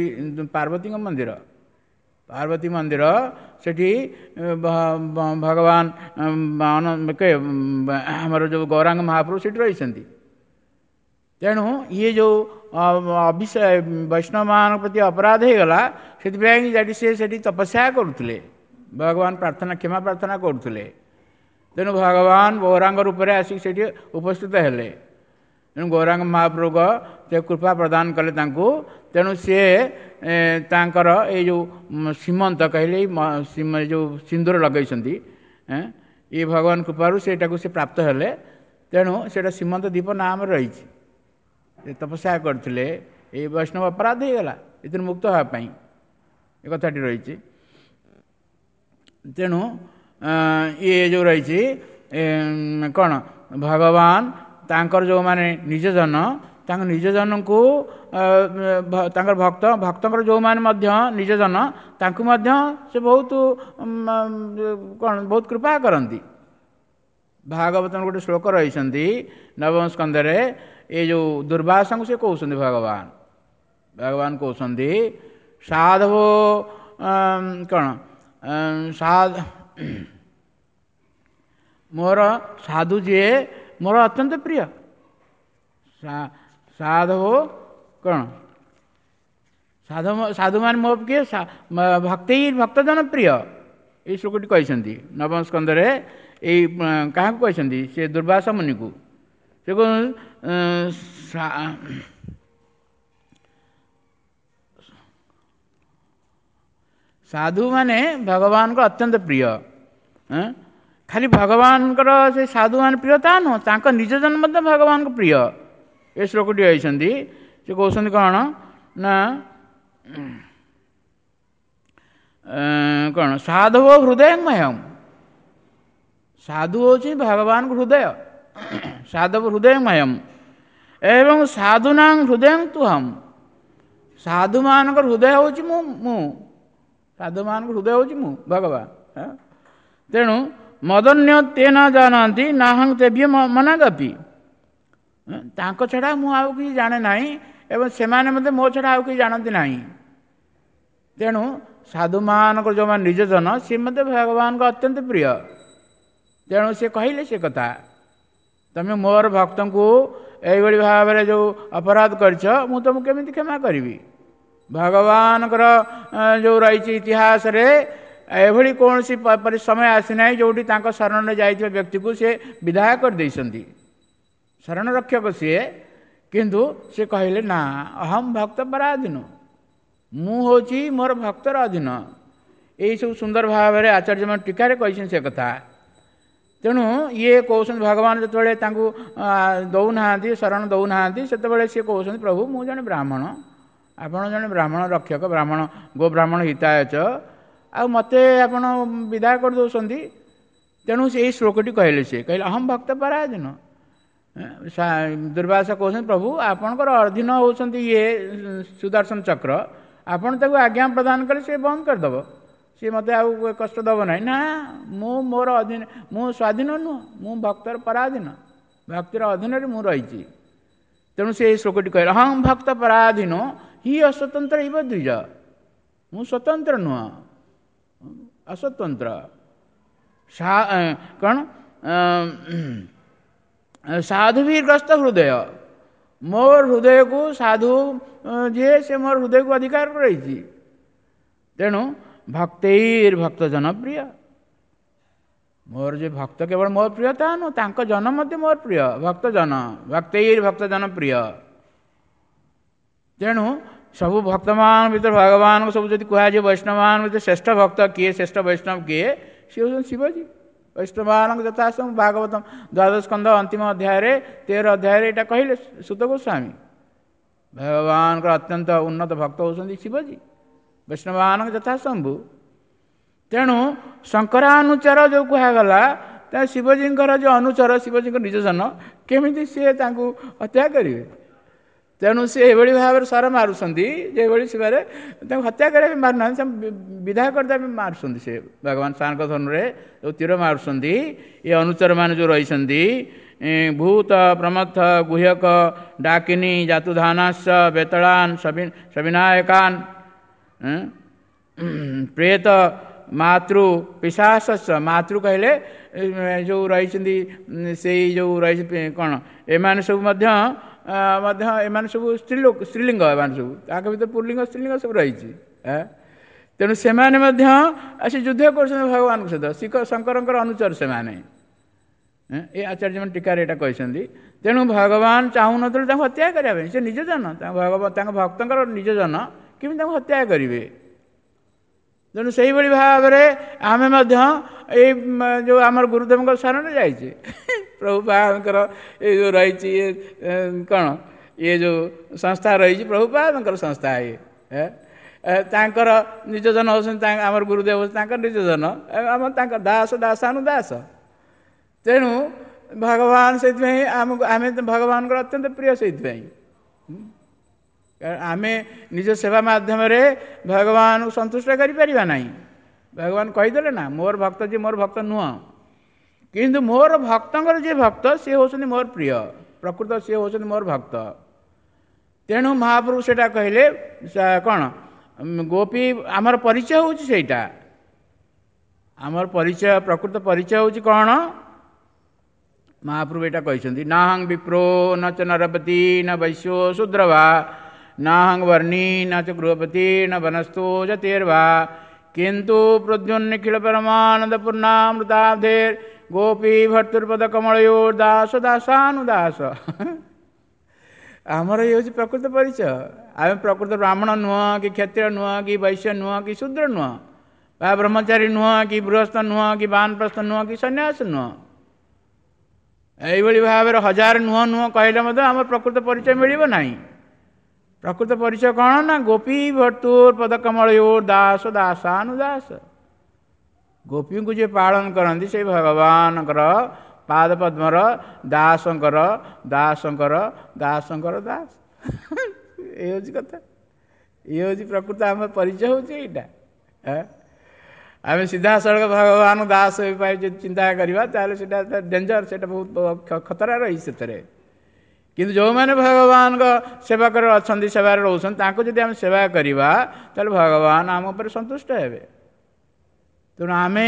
ପାର୍ବତୀଙ୍କ ମନ୍ଦିର। ପାର୍ବତୀ ମନ୍ଦିର ସେଠି ଭଗବାନ ଆମର ଯେଉଁ ଗୌରାଙ୍ଗ ମହାପ୍ରଭୁ ସେଠି ରହିଛନ୍ତି। ତେଣୁ ଇଏ ଯେଉଁ ବୈଷ୍ଣବମାନଙ୍କ ପ୍ରତି ଅପରାଧ ହେଇଗଲା, ସେଥିପାଇଁ ସେଠି ସେ ସେଠି ତପସ୍ୟା କରୁଥିଲେ, ଭଗବାନ ପ୍ରାର୍ଥନା, କ୍ଷମା ପ୍ରାର୍ଥନା କରୁଥିଲେ। ତେଣୁ ଭଗବାନ ଗୌରାଙ୍ଗ ରୂପରେ ଆସିକି ସେଠି ଉପସ୍ଥିତ ହେଲେ। ତେଣୁ ଗୌରାଙ୍ଗ ମହାପ୍ରଭୁଙ୍କ ସେ କୃପା ପ୍ରଦାନ କଲେ ତାଙ୍କୁ। ତେଣୁ ସିଏ ତାଙ୍କର ଏଇ ଯେଉଁ ସୀମନ୍ତ କହିଲେ, ଯେଉଁ ସିନ୍ଦୁର ଲଗେଇଛନ୍ତି, ଇଏ ଭଗବାନ କୃପାରୁ ସେଇଟାକୁ ସେ ପ୍ରାପ୍ତ ହେଲେ। ତେଣୁ ସେଇଟା ସୀମନ୍ତ ଦ୍ୱୀପ ନାମରେ ରହିଛି। ସେ ତପସ୍ୟା କରିଥିଲେ, ଏଇ ବୈଷ୍ଣବ ଅପରାଧ ହେଇଗଲା, ଏଥିରୁ ମୁକ୍ତ ହେବା ପାଇଁ ଏ କଥାଟି ରହିଛି। ତେଣୁ ଇଏ ଯେଉଁ ରହିଛି କ'ଣ, ଭଗବାନ ତାଙ୍କର ଯେଉଁମାନେ ନିଜ ଜନ, ତାଙ୍କ ନିଜ ଜନଙ୍କୁ, ତାଙ୍କର ଭକ୍ତ, ଭକ୍ତଙ୍କର ଯେଉଁମାନେ ମଧ୍ୟ ନିଜ ଜନ, ତାଙ୍କୁ ମଧ୍ୟ ସେ ବହୁତ କ'ଣ, ବହୁତ କୃପା କରନ୍ତି। ଭାଗବତର ଗୋଟେ ଶ୍ଲୋକ ରହିଛନ୍ତି ନବମ ସ୍କନ୍ଧରେ, ଏ ଯେଉଁ ଦୁର୍ବାସଙ୍କୁ ସେ କହୁଛନ୍ତି, ଭଗବାନ ଭଗବାନ କହୁଛନ୍ତି, ସାଧବ କ'ଣ, ମୋର ସାଧୁ ଯିଏ ମୋର ଅତ୍ୟନ୍ତ ପ୍ରିୟ। ସାଧବ କ'ଣ, ସାଧୁ, ସାଧୁମାନେ ମୋ କିଏ, ଭକ୍ତି ଭକ୍ତଜନ ପ୍ରିୟ। ଏଇ ଶ୍ଲୋକଟି କହିଛନ୍ତି ନବମ ସ୍କନ୍ଧରେ। ଏଇ କାହାକୁ କହିଛନ୍ତି? ସେ ଦୁର୍ବାସା ମୁନିକୁ। ସେ ସାଧୁମାନେ ଭଗବାନଙ୍କ ଅତ୍ୟନ୍ତ ପ୍ରିୟ। ଖାଲି ଭଗବାନଙ୍କର ସେ ସାଧୁମାନେ ପ୍ରିୟ ତା ନୁହଁ, ତାଙ୍କ ନିଜ ଜନ୍ମ ମଧ୍ୟ ଭଗବାନଙ୍କ ପ୍ରିୟ। ଏ ଶ୍ଲୋକଟି କହିଛନ୍ତି। ସେ କହୁଛନ୍ତି କ'ଣ ନା କ'ଣ, ସାଧବ ହୃଦୟମୟମ୍। ସାଧୁ ହେଉଛି ଭଗବାନଙ୍କ ହୃଦୟ। ସାଧବ ହୃଦୟମୟମ୍ ଏବଂ ସାଧୁନାଂ ହୃଦୟ ତୁହମ୍। ସାଧୁମାନଙ୍କର ହୃଦୟ ହେଉଛି ମୁଁ, ମୁଁ ସାଧୁମାନଙ୍କ ହୃଦୟ ହେଉଛି ମୁଁ ଭଗବାନ। ତେଣୁ ମଦନ୍ୟ ତେ ନ ଜାଣନ୍ତି ନାହଂ ତେଭ୍ୟ ମନାଗପି। ତାଙ୍କ ଛଡ଼ା ମୁଁ ଆଉ କିଛି ଜାଣେ ନାହିଁ ଏବଂ ସେମାନେ ମଧ୍ୟ ମୋ ଛଡ଼ା ଆଉ କିଛି ଜାଣନ୍ତି ନାହିଁ। ତେଣୁ ସାଧୁମାନଙ୍କର ଯେଉଁମାନେ ନିଜ ଜନ, ସିଏ ମଧ୍ୟ ଭଗବାନଙ୍କ ଅତ୍ୟନ୍ତ ପ୍ରିୟ। ତେଣୁ ସେ କହିଲେ ସେ କଥା, ତମେ ମୋର ଭକ୍ତଙ୍କୁ ଏଇଭଳି ଭାବରେ ଯେଉଁ ଅପରାଧ କରିଛ, ମୁଁ ତୁମକୁ କେମିତି କ୍ଷମା କରିବି? ଭଗବାନଙ୍କର ଯେଉଁ ରହିଛି ଇତିହାସରେ, ଏଭଳି କୌଣସି ସମୟ ଆସିନାହିଁ ଯେଉଁଠି ତାଙ୍କ ଶରଣରେ ଯାଇଥିବା ବ୍ୟକ୍ତିକୁ ସେ ବିଦାୟ କରିଦେଇଛନ୍ତି। ଶରଣ ରକ୍ଷକ ସିଏ। କିନ୍ତୁ ସେ କହିଲେ ନା, ଅହମ୍ ଭକ୍ତ ପରାଧୀନ, ମୁଁ ହେଉଛି ମୋର ଭକ୍ତର ଅଧୀନ। ଏଇସବୁ ସୁନ୍ଦର ଭାବରେ ଆଚାର୍ଯ୍ୟମାନେ ଟୀକାରେ କହିଛନ୍ତି ସେ କଥା। ତେଣୁ ଇଏ କହୁଛନ୍ତି, ଭଗବାନ ଯେତେବେଳେ ତାଙ୍କୁ ଦେଉନାହାନ୍ତି, ଶରଣ ଦେଉନାହାନ୍ତି, ସେତେବେଳେ ସିଏ କହୁଛନ୍ତି, ପ୍ରଭୁ ମୁଁ ଜଣେ ବ୍ରାହ୍ମଣ, ଆପଣ ଜଣେ ବ୍ରାହ୍ମଣ ରକ୍ଷକ, ବ୍ରାହ୍ମଣ ଗୋ ବ୍ରାହ୍ମଣ ହିତାୟଚ, ଆଉ ମୋତେ ଆପଣ ବିଦାୟ କରିଦେଉଛନ୍ତି। ତେଣୁ ସେ ଏଇ ଶ୍ଲୋକଟି କହିଲେ। ସେ କହିଲେ ଅହମ୍ ଭକ୍ତ ପରାଧୀନ। ଦୁର୍ବାସା କହୁଛନ୍ତି, ପ୍ରଭୁ ଆପଣଙ୍କର ଅଧୀନ ହେଉଛନ୍ତି ଇଏ ସୁଦର୍ଶନ ଚକ୍ର, ଆପଣ ତାକୁ ଆଜ୍ଞା ପ୍ରଦାନ କଲେ ସେ ବନ୍ଦ କରିଦେବ, ସିଏ ମୋତେ ଆଉ କଷ୍ଟ ଦେବ ନାହିଁ। ନା, ମୁଁ ମୋର ଅଧୀନ, ମୁଁ ସ୍ୱାଧୀନ ନୁହଁ, ମୁଁ ଭକ୍ତର ପରାଧୀନ, ଭକ୍ତିର ଅଧୀନରେ ମୁଁ ରହିଛି। ତେଣୁ ସେ ଏଇ ଶ୍ଲୋକଟି କହିଲେ, ହଁ ଭକ୍ତ ପରାଧୀନ ହି ଅସ୍ୱତନ୍ତ୍ର ଇବ ଦ୍ୱିଜ। ମୁଁ ସ୍ୱତନ୍ତ୍ର ନୁହଁ, ଅସ୍ୱତନ୍ତ୍ର। କ'ଣ, ସାଧୁଭିଗ୍ରସ୍ତ ହୃଦୟ, ମୋର ହୃଦୟକୁ ସାଧୁ ଯିଏ ସେ ମୋର ହୃଦୟକୁ ଅଧିକାର ରହିଛି। ତେଣୁ ଭକ୍ତୈର ଭକ୍ତ ଜନପ୍ରିୟ, ମୋର ଯେ ଭକ୍ତ କେବଳ ମୋର ପ୍ରିୟ ତା ନୁହଁ, ତାଙ୍କ ଜନ ମଧ୍ୟ ମୋର ପ୍ରିୟ। ଭକ୍ତ ଜନ, ଭକ୍ତୈର ଭକ୍ତ ଜନପ୍ରିୟ। ତେଣୁ ସବୁ ଭକ୍ତମାନଙ୍କ ଭିତରେ ଭଗବାନଙ୍କୁ ସବୁ ଯଦି କୁହାଯିବ ବୈଷ୍ଣବମାନଙ୍କ ଭିତରେ ଶ୍ରେଷ୍ଠ ଭକ୍ତ କିଏ, ଶ୍ରେଷ୍ଠ ବୈଷ୍ଣବ କିଏ, ସିଏ ହେଉଛନ୍ତି ଶିବଜୀ। ବୈଷ୍ଣବମାନଙ୍କ ଯଥାସମ୍ଭବ ଭାଗବତ ଦ୍ୱାଦଶ ସ୍କନ୍ଧ ଅନ୍ତିମ ଅଧ୍ୟାୟରେ 13 ଅଧ୍ୟାୟରେ ଏଇଟା କହିଲେ ସୁତ ଗୋସ୍ୱାମୀ। ଭଗବାନଙ୍କର ଅତ୍ୟନ୍ତ ଉନ୍ନତ ଭକ୍ତ ହେଉଛନ୍ତି ଶିବଜୀ, ବୈଷ୍ଣବମାନଙ୍କ ଯଥାସମ୍ଭୁ। ତେଣୁ ଶଙ୍କରାନୁଚର ଯେଉଁ କୁହାଗଲା, ତା ଶିବଜୀଙ୍କର ଯେଉଁ ଅନୁଚର, ଶିବଜୀଙ୍କ ନିଜ ଜନ, କେମିତି ସିଏ ତାଙ୍କୁ ହତ୍ୟା କରିବେ? ତେଣୁ ସେ ଏଭଳି ଭାବରେ ସର ମାରୁଛନ୍ତି ଯେଭଳି ସେବାରେ ତାଙ୍କୁ ହତ୍ୟା କରିବା ପାଇଁ ମାରୁନାହାନ୍ତି, ସେ ବିଦାୟ କରିଦେବା ପାଇଁ ମାରୁଛନ୍ତି। ସେ ଭଗବାନ ସାରଙ୍କ ଧନୁରେ ଯେଉଁ ତୀର ମାରୁଛନ୍ତି, ଏ ଅନୁଚରମାନେ ଯେଉଁ ରହିଛନ୍ତି, ଭୂତ ପ୍ରମଥ ଗୁହ୍ୟକ ଡାକିନୀ ଜାତୁଧାନାସ ବେତଳାନ ସବିନାୟକାନ ପ୍ରେତ ମାତୃ ପିଶାସ। ମାତୃ କହିଲେ ଯେଉଁ ରହିଛନ୍ତି, ସେଇ ଯେଉଁ ରହିଛି କ'ଣ, ଏମାନେ ସବୁ ମଧ୍ୟ ଏମାନେ ସବୁ ସ୍ତ୍ରୀଲୋକ, ସ୍ତ୍ରୀଲିଙ୍ଗ, ଏମାନେ ସବୁ ତାଙ୍କ ଭିତରେ ପୁଲ୍ଲିଙ୍ଗ ସ୍ତ୍ରୀଲିଙ୍ଗ ସବୁ ରହିଛି। ତେଣୁ ସେମାନେ ମଧ୍ୟ ଆସି ଯୁଦ୍ଧ କରୁଛନ୍ତି ଭଗବାନଙ୍କ ସହିତ, ଶିଖ ଶଙ୍କରଙ୍କର ଅନୁଚର ସେମାନେ। ଏ ଆଚାର୍ଯ୍ୟମାନେ ଟୀକାରେ ଏଇଟା କହିଛନ୍ତି। ତେଣୁ ଭଗବାନ ଚାହୁଁନଥିଲେ ତାଙ୍କୁ ହତ୍ୟା କରିବା ପାଇଁ, ସେ ନିଜ ଜନ, ତାଙ୍କ ଭକ୍ତଙ୍କର ନିଜ ଜନ, କେମିତି ତାଙ୍କୁ ହତ୍ୟା କରିବେ? ତେଣୁ ସେଇଭଳି ଭାବରେ ଆମେ ମଧ୍ୟ ଏଇ ଯେଉଁ ଆମର ଗୁରୁଦେବଙ୍କ ଶରଣରେ ଯାଇଛେ, ପ୍ରଭୁପାଦଙ୍କର ଏଇ ଯେଉଁ ରହିଛି ଇଏ କ'ଣ, ଇଏ ଯେଉଁ ସଂସ୍ଥା ରହିଛି ପ୍ରଭୁପାଦଙ୍କର ସଂସ୍ଥା, ଇଏ ତାଙ୍କର ନିଜ ଜନ ହେଉଛନ୍ତି, ଆମର ଗୁରୁଦେବ ହେଉଛନ୍ତି ତାଙ୍କର ନିଜ ଜନ, ଆମ ତାଙ୍କ ଦାସ ଦାସାନୁଦାସ। ତେଣୁ ଭଗବାନ ସେଇଥିପାଇଁ ଆମକୁ, ଆମେ ଭଗବାନଙ୍କର ଅତ୍ୟନ୍ତ ପ୍ରିୟ। ସେଇଥିପାଇଁ ଆମେ ନିଜ ସେବା ମାଧ୍ୟମରେ ଭଗବାନଙ୍କୁ ସନ୍ତୁଷ୍ଟ କରିପାରିବା ନାହିଁ। ଭଗବାନ କହିଦେଲେ ନା, ମୋର ଭକ୍ତ ଯିଏ ମୋର ଭକ୍ତ ନୁହଁ, କିନ୍ତୁ ମୋର ଭକ୍ତଙ୍କର ଯିଏ ଭକ୍ତ ସିଏ ହେଉଛନ୍ତି ମୋର ପ୍ରିୟ, ପ୍ରକୃତ ସିଏ ହେଉଛନ୍ତି ମୋର ଭକ୍ତ। ତେଣୁ ମହାପ୍ରଭୁ ସେଇଟା କହିଲେ କ'ଣ, ଗୋପୀ ଆମର ପରିଚୟ ହେଉଛି ସେଇଟା, ଆମର ପରିଚୟ, ପ୍ରକୃତ ପରିଚୟ ହେଉଛି କ'ଣ? ମହାପ୍ରଭୁ ଏଇଟା କହିଛନ୍ତି, ନାହଂ ବିପ୍ରୋ ନ ଚ ନରପତି ନ ବୈଶ୍ୟୋ ଶୂଦ୍ରବା ନାହଂ ବର୍ଣ୍ଣୀ ନ ଚ ଗୃହପତି ନ ବନସ୍ଥୋ ଯତିର୍ବା କିନ୍ତୁ ପ୍ରଦ୍ୟୁନ୍ନିଖିଳ ପରମାନନ୍ଦ ପୂର୍ଣ୍ଣାମୃତାବ୍ଧେର୍ ଗୋପୀ ଭର୍ତ୍ତୃପଦ କମଳୟୋର୍ ଦାସ ଦାସାନୁଦାସ। ଆମର ଇଏ ହେଉଛି ପ୍ରକୃତ ପରିଚୟ। ଆମେ ପ୍ରକୃତ ବ୍ରାହ୍ମଣ ନୁହଁ, କି କ୍ଷତ୍ରିୟ ନୁହଁ, କି ବୈଶ୍ୟ ନୁହଁ, କି ଶୂଦ୍ର ନୁହଁ, ବା ବ୍ରହ୍ମଚାରୀ ନୁହଁ, କି ଗୃହସ୍ଥ ନୁହଁ, କି ବାନପ୍ରସ୍ଥ ନୁହଁ, କି ସନ୍ନ୍ୟାସ ନୁହଁ। ଏଇଭଳି ଭାବରେ ହଜାର ନୁହଁ ନୁହଁ କହିଲେ ମଧ୍ୟ ଆମର ପ୍ରକୃତ ପରିଚୟ ମିଳିବ ନାହିଁ। ପ୍ରକୃତ ପରିଚୟ କ'ଣ ନା ଗୋପୀ ଭର୍ତ୍ତୁର ପଦକମଳୟୋର୍ ଦାସ ଦାସାନୁଦାସ। ଗୋପୀଙ୍କୁ ଯିଏ ପାଳନ କରନ୍ତି ସେଇ ଭଗବାନଙ୍କର ପାଦ ପଦ୍ମର ଦାସଙ୍କର ଦାସଙ୍କର ଦାସଙ୍କର ଦାସ। ଏ ହେଉଛି କଥା, ଇଏ ହେଉଛି ପ୍ରକୃତ ଆମ ପରିଚୟ ହେଉଛି ଏଇଟା। ଆମେ ସିଧାସଳଖ ଭଗବାନ ଦାସ ପାଇଁ ଯଦି ଚିନ୍ତା କରିବା ତାହେଲେ ସେଇଟା ଡେଞ୍ଜର, ସେଇଟା ବହୁତ ଖତରା ରହିଛି ସେଥିରେ। କିନ୍ତୁ ଯେଉଁମାନେ ଭଗବାନଙ୍କ ସେବା କରି ଅଛନ୍ତି, ସେବାରେ ରହୁଛନ୍ତି, ତାଙ୍କୁ ଯଦି ଆମେ ସେବା କରିବା ତାହେଲେ ଭଗବାନ ଆମ ଉପରେ ସନ୍ତୁଷ୍ଟ ହେବେ। ତେଣୁ ଆମେ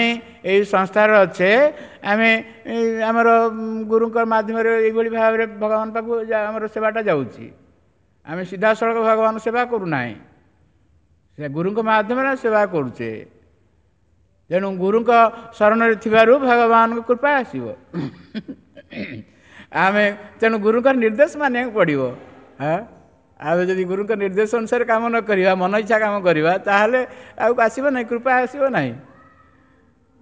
ଏଇ ସଂସ୍ଥାରେ ଅଛେ, ଆମେ ଆମର ଗୁରୁଙ୍କ ମାଧ୍ୟମରେ ଏଇଭଳି ଭାବରେ ଭଗବାନ ପାଖକୁ ଆମର ସେବାଟା ଯାଉଛି। ଆମେ ସିଧାସଳଖ ଭଗବାନ ସେବା କରୁନାହିଁ, ସେ ଗୁରୁଙ୍କ ମାଧ୍ୟମରେ ସେବା କରୁଛେ। ତେଣୁ ଗୁରୁଙ୍କ ଶରଣରେ ଥିବାରୁ ଭଗବାନଙ୍କ କୃପା ଆସିବ। ଆମେ ତେଣୁ ଗୁରୁଙ୍କର ନିର୍ଦ୍ଦେଶ ମାନିବାକୁ ପଡ଼ିବ। ଆମେ ଯଦି ଗୁରୁଙ୍କ ନିର୍ଦ୍ଦେଶ ଅନୁସାରେ କାମ ନ କରିବା, ମନ ଇଚ୍ଛା କାମ କରିବା, ତାହେଲେ ଆଉ ଆସିବ ନାହିଁ, କୃପା ଆସିବ ନାହିଁ।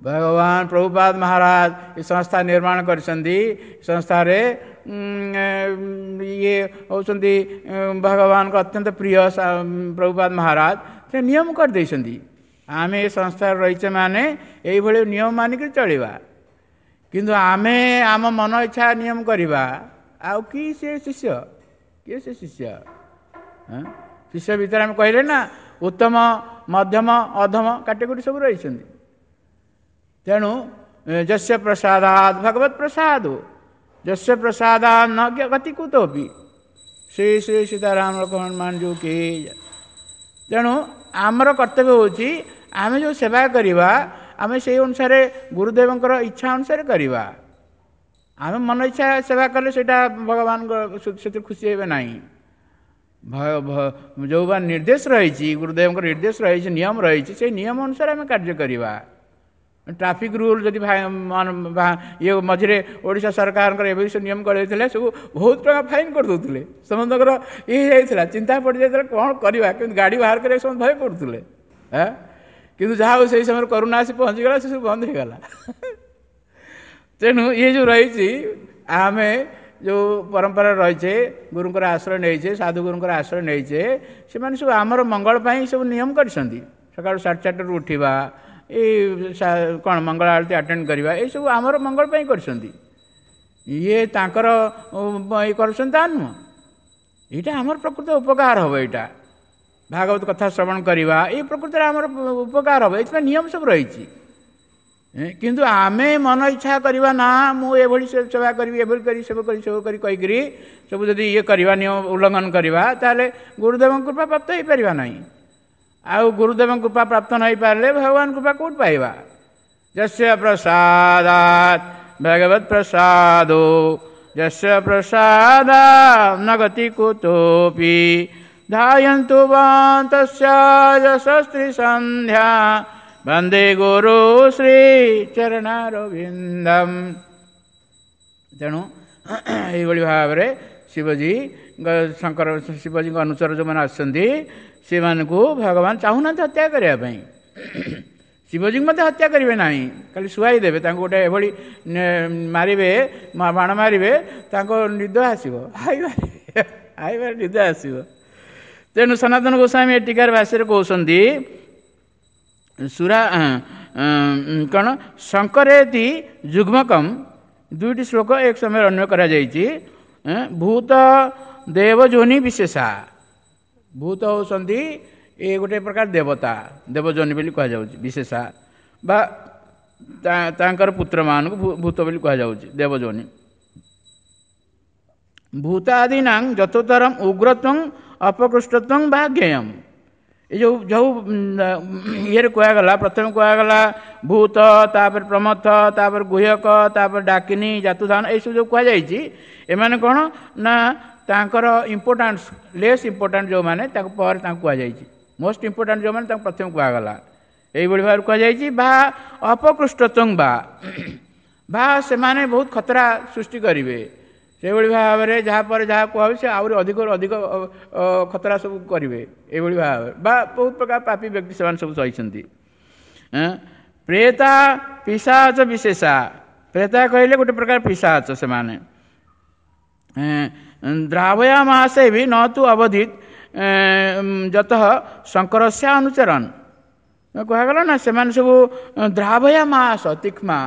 ଭଗବାନ ପ୍ରଭୁପାଦ ମହାରାଜ ଏ ସଂସ୍ଥା ନିର୍ମାଣ କରିଛନ୍ତି। ସଂସ୍ଥାରେ ଇଏ ହେଉଛନ୍ତି ଭଗବାନଙ୍କ ଅତ୍ୟନ୍ତ ପ୍ରିୟ ପ୍ରଭୁପାଦ ମହାରାଜ, ସେ ନିୟମ କରିଦେଇଛନ୍ତି। ଆମେ ଏ ସଂସ୍ଥାରେ ରହିଛେ ମାନେ ଏଇଭଳି ନିୟମ ମାନିକରି ଚଳିବା। କିନ୍ତୁ ଆମେ ଆମ ମନ ଇଚ୍ଛା ନିୟମ କରିବା, ଆଉ କି ସେ ଶିଷ୍ୟ, କିଏ ସେ ଶିଷ୍ୟ? ଶିଷ୍ୟ ଭିତରେ ଆମେ କହିଲେ ନା ଉତ୍ତମ, ମଧ୍ୟମ, ଅଧମ କାଟେଗୋରୀ ସବୁ ରହିଛନ୍ତି। ତେଣୁ ଯସ୍ୟ ପ୍ରସାଦାଦ ଭଗବତ ପ୍ରସାଦ, ଯସ୍ୟ ପ୍ରସାଦାଦ ନ ଗତି କୁତୋପି, ଶ୍ରୀ ଶ୍ରୀ ସୀତାରାମ ଲକ୍ଷ୍ମଣ ମାନଜୁ କି। ତେଣୁ ଆମର କର୍ତ୍ତବ୍ୟ ହେଉଛି ଆମେ ଯେଉଁ ସେବା କରିବା, ଆମେ ସେଇ ଅନୁସାରେ ଗୁରୁଦେବଙ୍କର ଇଚ୍ଛା ଅନୁସାରେ କରିବା। ଆମେ ମନ ଇଚ୍ଛା ସେବା କଲେ ସେଇଟା ଭଗବାନଙ୍କ ସେଥିରେ ଖୁସି ହେବେ ନାହିଁ। ଯେଉଁ ବା ନିର୍ଦ୍ଦେଶ ରହିଛି, ଗୁରୁଦେବଙ୍କର ନିର୍ଦ୍ଦେଶ ରହିଛି, ନିୟମ ରହିଛି, ସେଇ ନିୟମ ଅନୁସାରେ ଆମେ କାର୍ଯ୍ୟ କରିବା। ଟ୍ରାଫିକ୍ ରୁଲ୍ ଯଦି ଇଏ ମଝିରେ ଓଡ଼ିଶା ସରକାରଙ୍କର ଏବେ ସବୁ ନିୟମ କରିଦେଇଥିଲେ, ସବୁ ବହୁତ ଟଙ୍କା ଫାଇନ୍ କରିଦେଉଥିଲେ। ସମସ୍ତଙ୍କର ଇଏ ହେଇଯାଇଥିଲା, ଚିନ୍ତା ପଡ଼ିଯାଇଥିଲା କ'ଣ କରିବା, କିନ୍ତୁ ଗାଡ଼ି ବାହାର କରିବାକୁ ସମସ୍ତେ ଭୟ କରୁଥିଲେ। କିନ୍ତୁ ଯାହା ହଉ ସେଇ ସମୟରେ କରୋନା ଆସି ପହଞ୍ଚିଗଲା, ସେ ସବୁ ବନ୍ଦ ହେଇଗଲା। ତେଣୁ ଇଏ ଯେଉଁ ରହିଛି, ଆମେ ଯେଉଁ ପରମ୍ପରା ରହିଛେ, ଗୁରୁଙ୍କର ଆଶ୍ରୟ ନେଇଛେ, ସାଧୁଗୁରୁଙ୍କର ଆଶ୍ରୟ ନେଇଛେ, ସେମାନେ ସବୁ ଆମର ମଙ୍ଗଳ ପାଇଁ ସବୁ ନିୟମ କରିଛନ୍ତି। ସକାଳୁ 4:30ରୁ ଉଠିବା, ଏଇ କ'ଣ ମଙ୍ଗଳ ଆଳତୀ ଆଟେଣ୍ଡ କରିବା, ଏଇସବୁ ଆମର ମଙ୍ଗଳ ପାଇଁ କରିଛନ୍ତି। ଇଏ ତାଙ୍କର ଇଏ କରୁଛନ୍ତି ତା ନୁହଁ, ଏଇଟା ଆମର ପ୍ରକୃତ ଉପକାର ହେବ। ଏଇଟା ଭାଗବତ କଥା ଶ୍ରବଣ କରିବା, ଏଇ ପ୍ରକୃତରେ ଆମର ଉପକାର ହେବ, ଏଥିପାଇଁ ନିୟମ ସବୁ ରହିଛି। କିନ୍ତୁ ଆମେ ମନ ଇଚ୍ଛା କରିବା ନା, ମୁଁ ଏଭଳି ସେବା କରିବି, ଏଭଳି କରି ସେବା କରି ସେବା କରି କହିକିରି ସବୁ ଯଦି ଇଏ କରିବା, ନିୟମ ଉଲ୍ଲଂଘନ କରିବା, ତାହେଲେ ଗୁରୁଦେବଙ୍କ କୃପା ପ୍ରାପ୍ତ ହେଇପାରିବା ନାହିଁ। ଆଉ ଗୁରୁଦେବଙ୍କ କୃପା ପ୍ରାପ୍ତ ନ ହେଇପାରିଲେ ଭଗବାନ କୃପା କେଉଁଠି ପାଇବା? ଯସ୍ୟ ପ୍ରସାଦାତ୍ ଭଗବତ ପ୍ରସାଦୋ ଯସ୍ୟ ପ୍ରସାଦାତ୍ ନ ଗତି କୁତୋପି ଧାୟନ୍ତୁ ବନ୍ତସ୍ୟ ଯଶସ୍ତ୍ରୀ ସନ୍ଧ୍ୟା ବନ୍ଦେ ଗୁରୁ ଶ୍ରୀ ଚରଣାରବିନ୍ଦମ୍। ତେଣୁ ଏଇଭଳି ଭାବରେ ଶିବଜୀ ଶଙ୍କର ଶିବଜୀଙ୍କ ଅନୁଚର ଯେଉଁମାନେ ଆସୁଛନ୍ତି, ସେମାନଙ୍କୁ ଭଗବାନ ଚାହୁଁନାହାନ୍ତି ହତ୍ୟା କରିବା ପାଇଁ। ଶିବଜୀଙ୍କୁ ମଧ୍ୟ ହତ୍ୟା କରିବେ ନାହିଁ, ଖାଲି ଶୁଆଇ ଦେବେ ତାଙ୍କୁ। ଗୋଟେ ଏଭଳି ମାରିବେ, ବାଣ ମାରିବେ, ତାଙ୍କ ନିଦ ଆସିବ, ହାଇ ମାରିବେ, ହାଇ ମାରି ନିଦ ଆସିବ। ତେଣୁ ସନାତନ ଗୋସ୍ୱାମୀ ଏ ଟୀକାର ଭାଷ୍ୟରେ କହୁଛନ୍ତି, ସୁରା କ'ଣ ଶଙ୍କରେତି ଯୁଗ୍ମକମ୍, ଦୁଇଟି ଶ୍ଲୋକ ଏକ ସମୟରେ ଅନ୍ୱୟ କରାଯାଇଛି। ଭୂତ ଦେବଯୋନି ବିଶେଷା, ଭୂତ ହେଉଛନ୍ତି ଏ ଗୋଟେ ପ୍ରକାର ଦେବତା, ଦେବଯୋନି ବୋଲି କୁହାଯାଉଛି, ବିଶେଷା ବା ତାଙ୍କର ପୁତ୍ରମାନଙ୍କୁ ଭୂତ ବୋଲି କୁହାଯାଉଛି, ଦେବଯୋନି। ଭୂତାଦୀନାଂ ଯଥୋତ୍ତରମ୍ ଉଗ୍ରତ୍ୱଂ ଅପକୃଷ୍ଟତ୍ୱଂ ବା ଜ୍ଞେୟମ୍। ଏ ଯେଉଁ ଯେଉଁ ଇଏରେ କୁହାଗଲା, ପ୍ରଥମେ କୁହାଗଲା ଭୂତ, ତାପରେ ପ୍ରମଥ, ତାପରେ ଗୁହ୍ୟକ, ତାପରେ ଡାକିନୀ, ଜାତୁଧାନ, ଏଇସବୁ ଯେଉଁ କୁହାଯାଇଛି, ଏମାନେ କ'ଣ ନା ତାଙ୍କର ଇମ୍ପୋର୍ଟାନ୍ସ, ଲେସ୍ ଇମ୍ପୋର୍ଟାଣ୍ଟ ଯେଉଁମାନେ ତାଙ୍କୁ ପରେ ତାଙ୍କୁ କୁହାଯାଇଛି, ମୋଷ୍ଟ ଇମ୍ପୋର୍ଟାଣ୍ଟ ଯେଉଁମାନେ ତାଙ୍କୁ ପ୍ରଥମେ କୁହାଗଲା। ଏଇଭଳି ଭାବରେ କୁହାଯାଇଛି ବା ଅପକୃଷ୍ଟତ୍ୱଂ ବା ସେମାନେ ବହୁତ ଖତରା ସୃଷ୍ଟି କରିବେ। ସେଇଭଳି ଭାବରେ ଯାହା ପରେ ଯାହା କୁହାହବ ସେ ଆହୁରି ଅଧିକରୁ ଅଧିକ ଖତରା ସବୁ କରିବେ। ଏଇଭଳି ଭାବରେ ବା ବହୁତ ପ୍ରକାର ପାପୀ ବ୍ୟକ୍ତି ସେମାନେ ସବୁ ସହିଛନ୍ତି। ପ୍ରେତା ପିଶାଚ ବିଶେଷା, ପ୍ରେତା କହିଲେ ଗୋଟେ ପ୍ରକାର ପିଶାଚ ସେମାନେ। ଦ୍ରାବୟାମାସେ ବି ନ ତୁ ଅବଧିତ ଯତଃ ଶଙ୍କରସ୍ୟ ଅନୁଚରণ। କୁହାଗଲା ନା ସେମାନେ ସବୁ ଦ୍ରାବୟାମାସ ତୀକ୍ଷ୍ମା,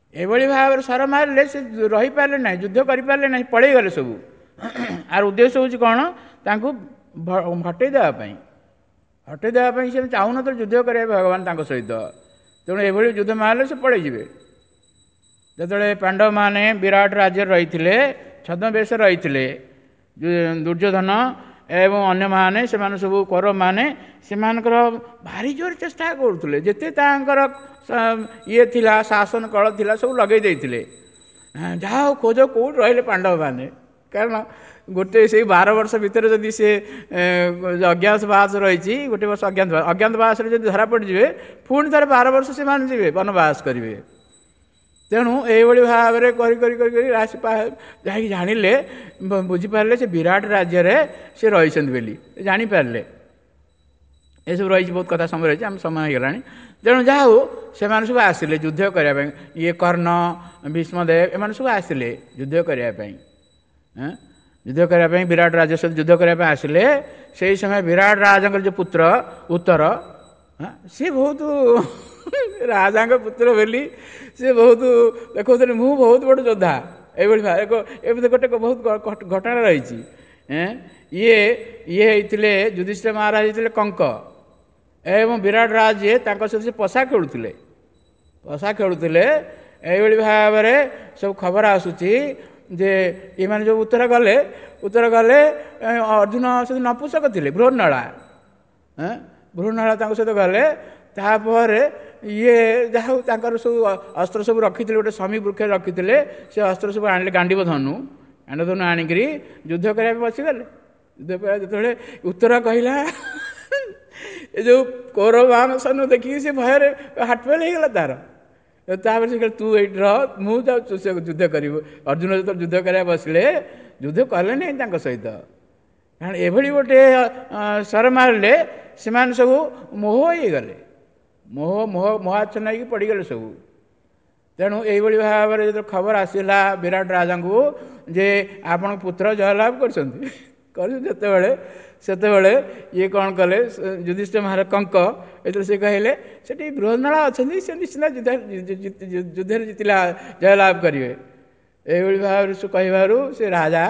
ଏଭଳି ଭାବରେ ସର ମାରିଲେ ସେ ରହିପାରିଲେ ନାହିଁ, ଯୁଦ୍ଧ କରିପାରିଲେ ନାହିଁ, ପଳେଇଗଲେ ସବୁ। ଆର ଉଦ୍ଦେଶ୍ୟ ହେଉଛି କ'ଣ? ତାଙ୍କୁ ହଟେଇ ଦେବା ପାଇଁ, ହଟେଇ ଦେବା ପାଇଁ। ସେ ଚାହୁଁନଥିଲେ ଯୁଦ୍ଧ କରିବା ଭଗବାନ ତାଙ୍କ ସହିତ, ତେଣୁ ଏଭଳି ଯୁଦ୍ଧ ମାରିଲେ ସେ ପଳେଇଯିବେ। ଯେତେବେଳେ ପାଣ୍ଡବମାନେ ବିରାଟ ରାଜ୍ୟରେ ରହିଥିଲେ, ଛଦ୍ମବେଶ ରହିଥିଲେ, ଦୁର୍ଯ୍ୟୋଧନ ଏବଂ ଅନ୍ୟମାନେ ସେମାନେ ସବୁ କୌରବମାନେ ସେମାନଙ୍କର ଭାରି ଜୋର ଚେଷ୍ଟା କରୁଥିଲେ, ଯେତେ ତାଙ୍କର ଇଏ ଥିଲା, ଶାସନ କଳ ଥିଲା, ସବୁ ଲଗେଇ ଦେଇଥିଲେ। ଯାହା ହଉ ଖୋଜ କେଉଁଠି ରହିଲେ ପାଣ୍ଡବମାନେ, କାରଣ ଗୋଟେ ସେଇ 12 ବର୍ଷ ଭିତରେ ଯଦି ସେ ଅଜ୍ଞାତବାସ ରହିଛି, ଗୋଟେ ବର୍ଷ ଅଜ୍ଞାତବାସ, ଅଜ୍ଞାତବାସରେ ଯଦି ଧରା ପଡ଼ିଯିବେ, ପୁଣି ଥରେ 12 ବର୍ଷ ସେମାନେ ଯିବେ ବନବାସ କରିବେ। ତେଣୁ ଏଇଭଳି ଭାବରେ କରି କରି କରି କରି ରାଶି ଯାଇକି ଜାଣିଲେ, ବୁଝିପାରିଲେ ସେ ବିରାଟ ରାଜ୍ୟରେ ସେ ରହିଛନ୍ତି ବୋଲି ଜାଣିପାରିଲେ। ଏସବୁ ରହିଛି, ବହୁତ କଥା ସମୟ ରହିଛି, ଆମ ସମୟ ହେଇଗଲାଣି। ତେଣୁ ଯାହା ହଉ ସେମାନେ ସବୁ ଆସିଲେ ଯୁଦ୍ଧ କରିବା ପାଇଁ। ଇଏ କର୍ଣ୍ଣ, ଭୀଷ୍ମଦେବ ଏମାନେ ସବୁ ଆସିଲେ ଯୁଦ୍ଧ କରିବା ପାଇଁ, ଯୁଦ୍ଧ କରିବା ପାଇଁ ବିରାଟ ରାଜ୍ୟ ସହିତ ଯୁଦ୍ଧ କରିବା ପାଇଁ ଆସିଲେ। ସେଇ ସମୟ ବିରାଟ ରାଜାଙ୍କର ଯେଉଁ ପୁତ୍ର ଉତ୍ତର, ସିଏ ବହୁତ ରାଜାଙ୍କ ପୁତ୍ର ବୋଲି ସେ ବହୁତ ଦେଖାଉଥିଲେ, ମୁଁ ବହୁତ ବଡ଼ ଯୋଦ୍ଧା। ଏଇଭଳି ଏକ ଏମିତି ଗୋଟେ ବହୁତ ଘଟଣା ରହିଛି। ଇଏ ଇଏ ହେଇଥିଲେ ଯୁଧିଷ୍ଠିର ମହାରାଜ ହେଇଥିଲେ କଙ୍କ, ଏବଂ ବିରାଟ ରାଜ ଯିଏ ତାଙ୍କ ସହିତ ସେ ପଶା ଖେଳୁଥିଲେ, ପଶା ଖେଳୁଥିଲେ। ଏଇଭଳି ଭାବରେ ସବୁ ଖବର ଆସୁଛି ଯେ ଏମାନେ ଯେଉଁ ଉତ୍ତର ଗଲେ, ଉତ୍ତର ଗଲେ ଅର୍ଜୁନ ସହିତ ନପୁସକ ଥିଲେ, ବୃହନ୍ନଳା, ବୃହନ୍ନଳା ତାଙ୍କ ସହିତ ଗଲେ। ତାପରେ ଇଏ ଯାହା ହଉ ତାଙ୍କର ସବୁ ଅସ୍ତ୍ର ସବୁ ରଖିଥିଲେ, ଗୋଟେ ଶମୀ ବୃକ୍ଷରେ ରଖିଥିଲେ, ସେ ଅସ୍ତ୍ର ସବୁ ଆଣିଲେ, ଗାଣ୍ଡିବ ଧନୁ, ଗାଣ୍ଡିବ ଧନୁ ଆଣିକିରି ଯୁଦ୍ଧ କରିବା ପାଇଁ ବସିଗଲେ। ଯୁଦ୍ଧ କରିବା ଯେତେବେଳେ ଉତ୍ତର କହିଲା, ଏ ଯେଉଁ କୌରବ ସୈନ୍ୟ ଦେଖିକି ସେ ଭୟରେ ହାର୍ଟ ଫେଲ୍ ହେଇଗଲା ତାର। ତାପରେ ସେ କହିଲେ, ତୁ ଏଇଠି ରହ, ମୁଁ ଯାଉଛୁ ସେ ଯୁଦ୍ଧ କରିବୁ। ଅର୍ଜୁନ ଯେତେବେଳେ ଯୁଦ୍ଧ କରିବାକୁ ବସିଲେ, ଯୁଦ୍ଧ କଲେ ନାହିଁ ତାଙ୍କ ସହିତ, କାରଣ ଏଭଳି ଗୋଟେ ଶର ମାରିଲେ ସେମାନେ ସବୁ ମୋହ ହେଇଗଲେ, ମୋହ ମୋହ ମୋହାଚ୍ଛନ୍ନ ହେଇକି ପଡ଼ିଗଲେ ସବୁ। ତେଣୁ ଏଇଭଳି ଭାବରେ ଯେତେବେଳେ ଖବର ଆସିଲା ବିରାଟ ରାଜାଙ୍କୁ ଯେ ଆପଣଙ୍କ ପୁତ୍ର ଜୟଲାଭ କରିଛନ୍ତି ଯେତେବେଳେ, ସେତେବେଳେ ଇଏ କ'ଣ କଲେ ଯୁଧିଷ୍ଠିର ମହାରାଜ କଙ୍କ, ଏଥିରେ ସେ କହିଲେ ସେଠି ବୃହନ୍ନଳା ଅଛନ୍ତି, ସେ ନିଶ୍ଚିନ୍ତ ଯୁଦ୍ଧରେ ଜିତିଲା ଜୟଲାଭ କରିବେ। ଏଇଭଳି ଭାବରେ ସେ କହିବାରୁ ସେ ରାଜା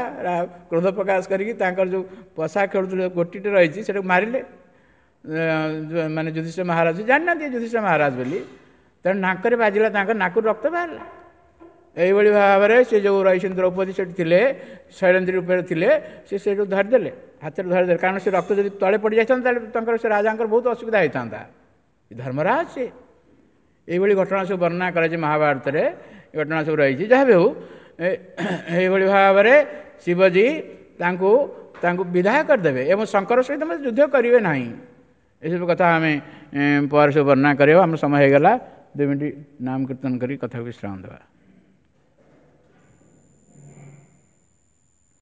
କ୍ରୋଧ ପ୍ରକାଶ କରିକି ତାଙ୍କର ଯେଉଁ ପଶା ଖେଳୁଥିଲେ ଗୋଟିଟେ ରହିଛି ସେଟାକୁ ମାରିଲେ। ମାନେ ଯୁଧିଷ୍ଠିର ମହାରାଜ ଜାଣିନାହାନ୍ତି ଯୁଧିଷ୍ଠିର ମହାରାଜ ବୋଲି, ତେଣୁ ନାକରେ ବାଜିଲା, ତାଙ୍କ ନାକରୁ ରକ୍ତ ବାହାରିଲା। ଏଇଭଳି ଭାବରେ ସେ ଯେଉଁ ରହିଛନ୍ତି ଦ୍ରୌପଦୀ ସେଠି ଥିଲେ, ଶୈଳେନ୍ଦ୍ରୀ ରୂପରେ ଥିଲେ, ସେ ସେଇଠୁ ଧରିଦେଲେ, ହାତରେ ଧରିଦେଲେ। କାରଣ ସେ ରକ୍ତ ଯଦି ତଳେ ପଡ଼ିଯାଇଥାନ୍ତା ତାହେଲେ ତାଙ୍କର ସେ ରାଜାଙ୍କର ବହୁତ ଅସୁବିଧା ହେଇଥାନ୍ତା। ଧର୍ମରାଜ ସେ। ଏଇଭଳି ଘଟଣା ସବୁ ବର୍ଣ୍ଣନା କରାଯାଇଛି ମହାଭାରତରେ, ଘଟଣା ସବୁ ରହିଛି। ଯାହା ବି ହେଉ, ଏଇଭଳି ଭାବରେ ଶିବଜୀ ତାଙ୍କୁ ତାଙ୍କୁ ବିଦାୟ କରିଦେବେ ଏବଂ ଶଙ୍କର ସହିତ ମଧ୍ୟ ଯୁଦ୍ଧ କରିବେ ନାହିଁ। ଏସବୁ କଥା ଆମେ ପରେ ସବୁ ବର୍ଣ୍ଣନା କରିବା। ଆମ ସମୟ ହେଇଗଲା, 2 ମିନିଟ୍ ନାମ କୀର୍ତ୍ତନ କରି କଥାକୁ ବିଶ୍ରାମ ଦେବା।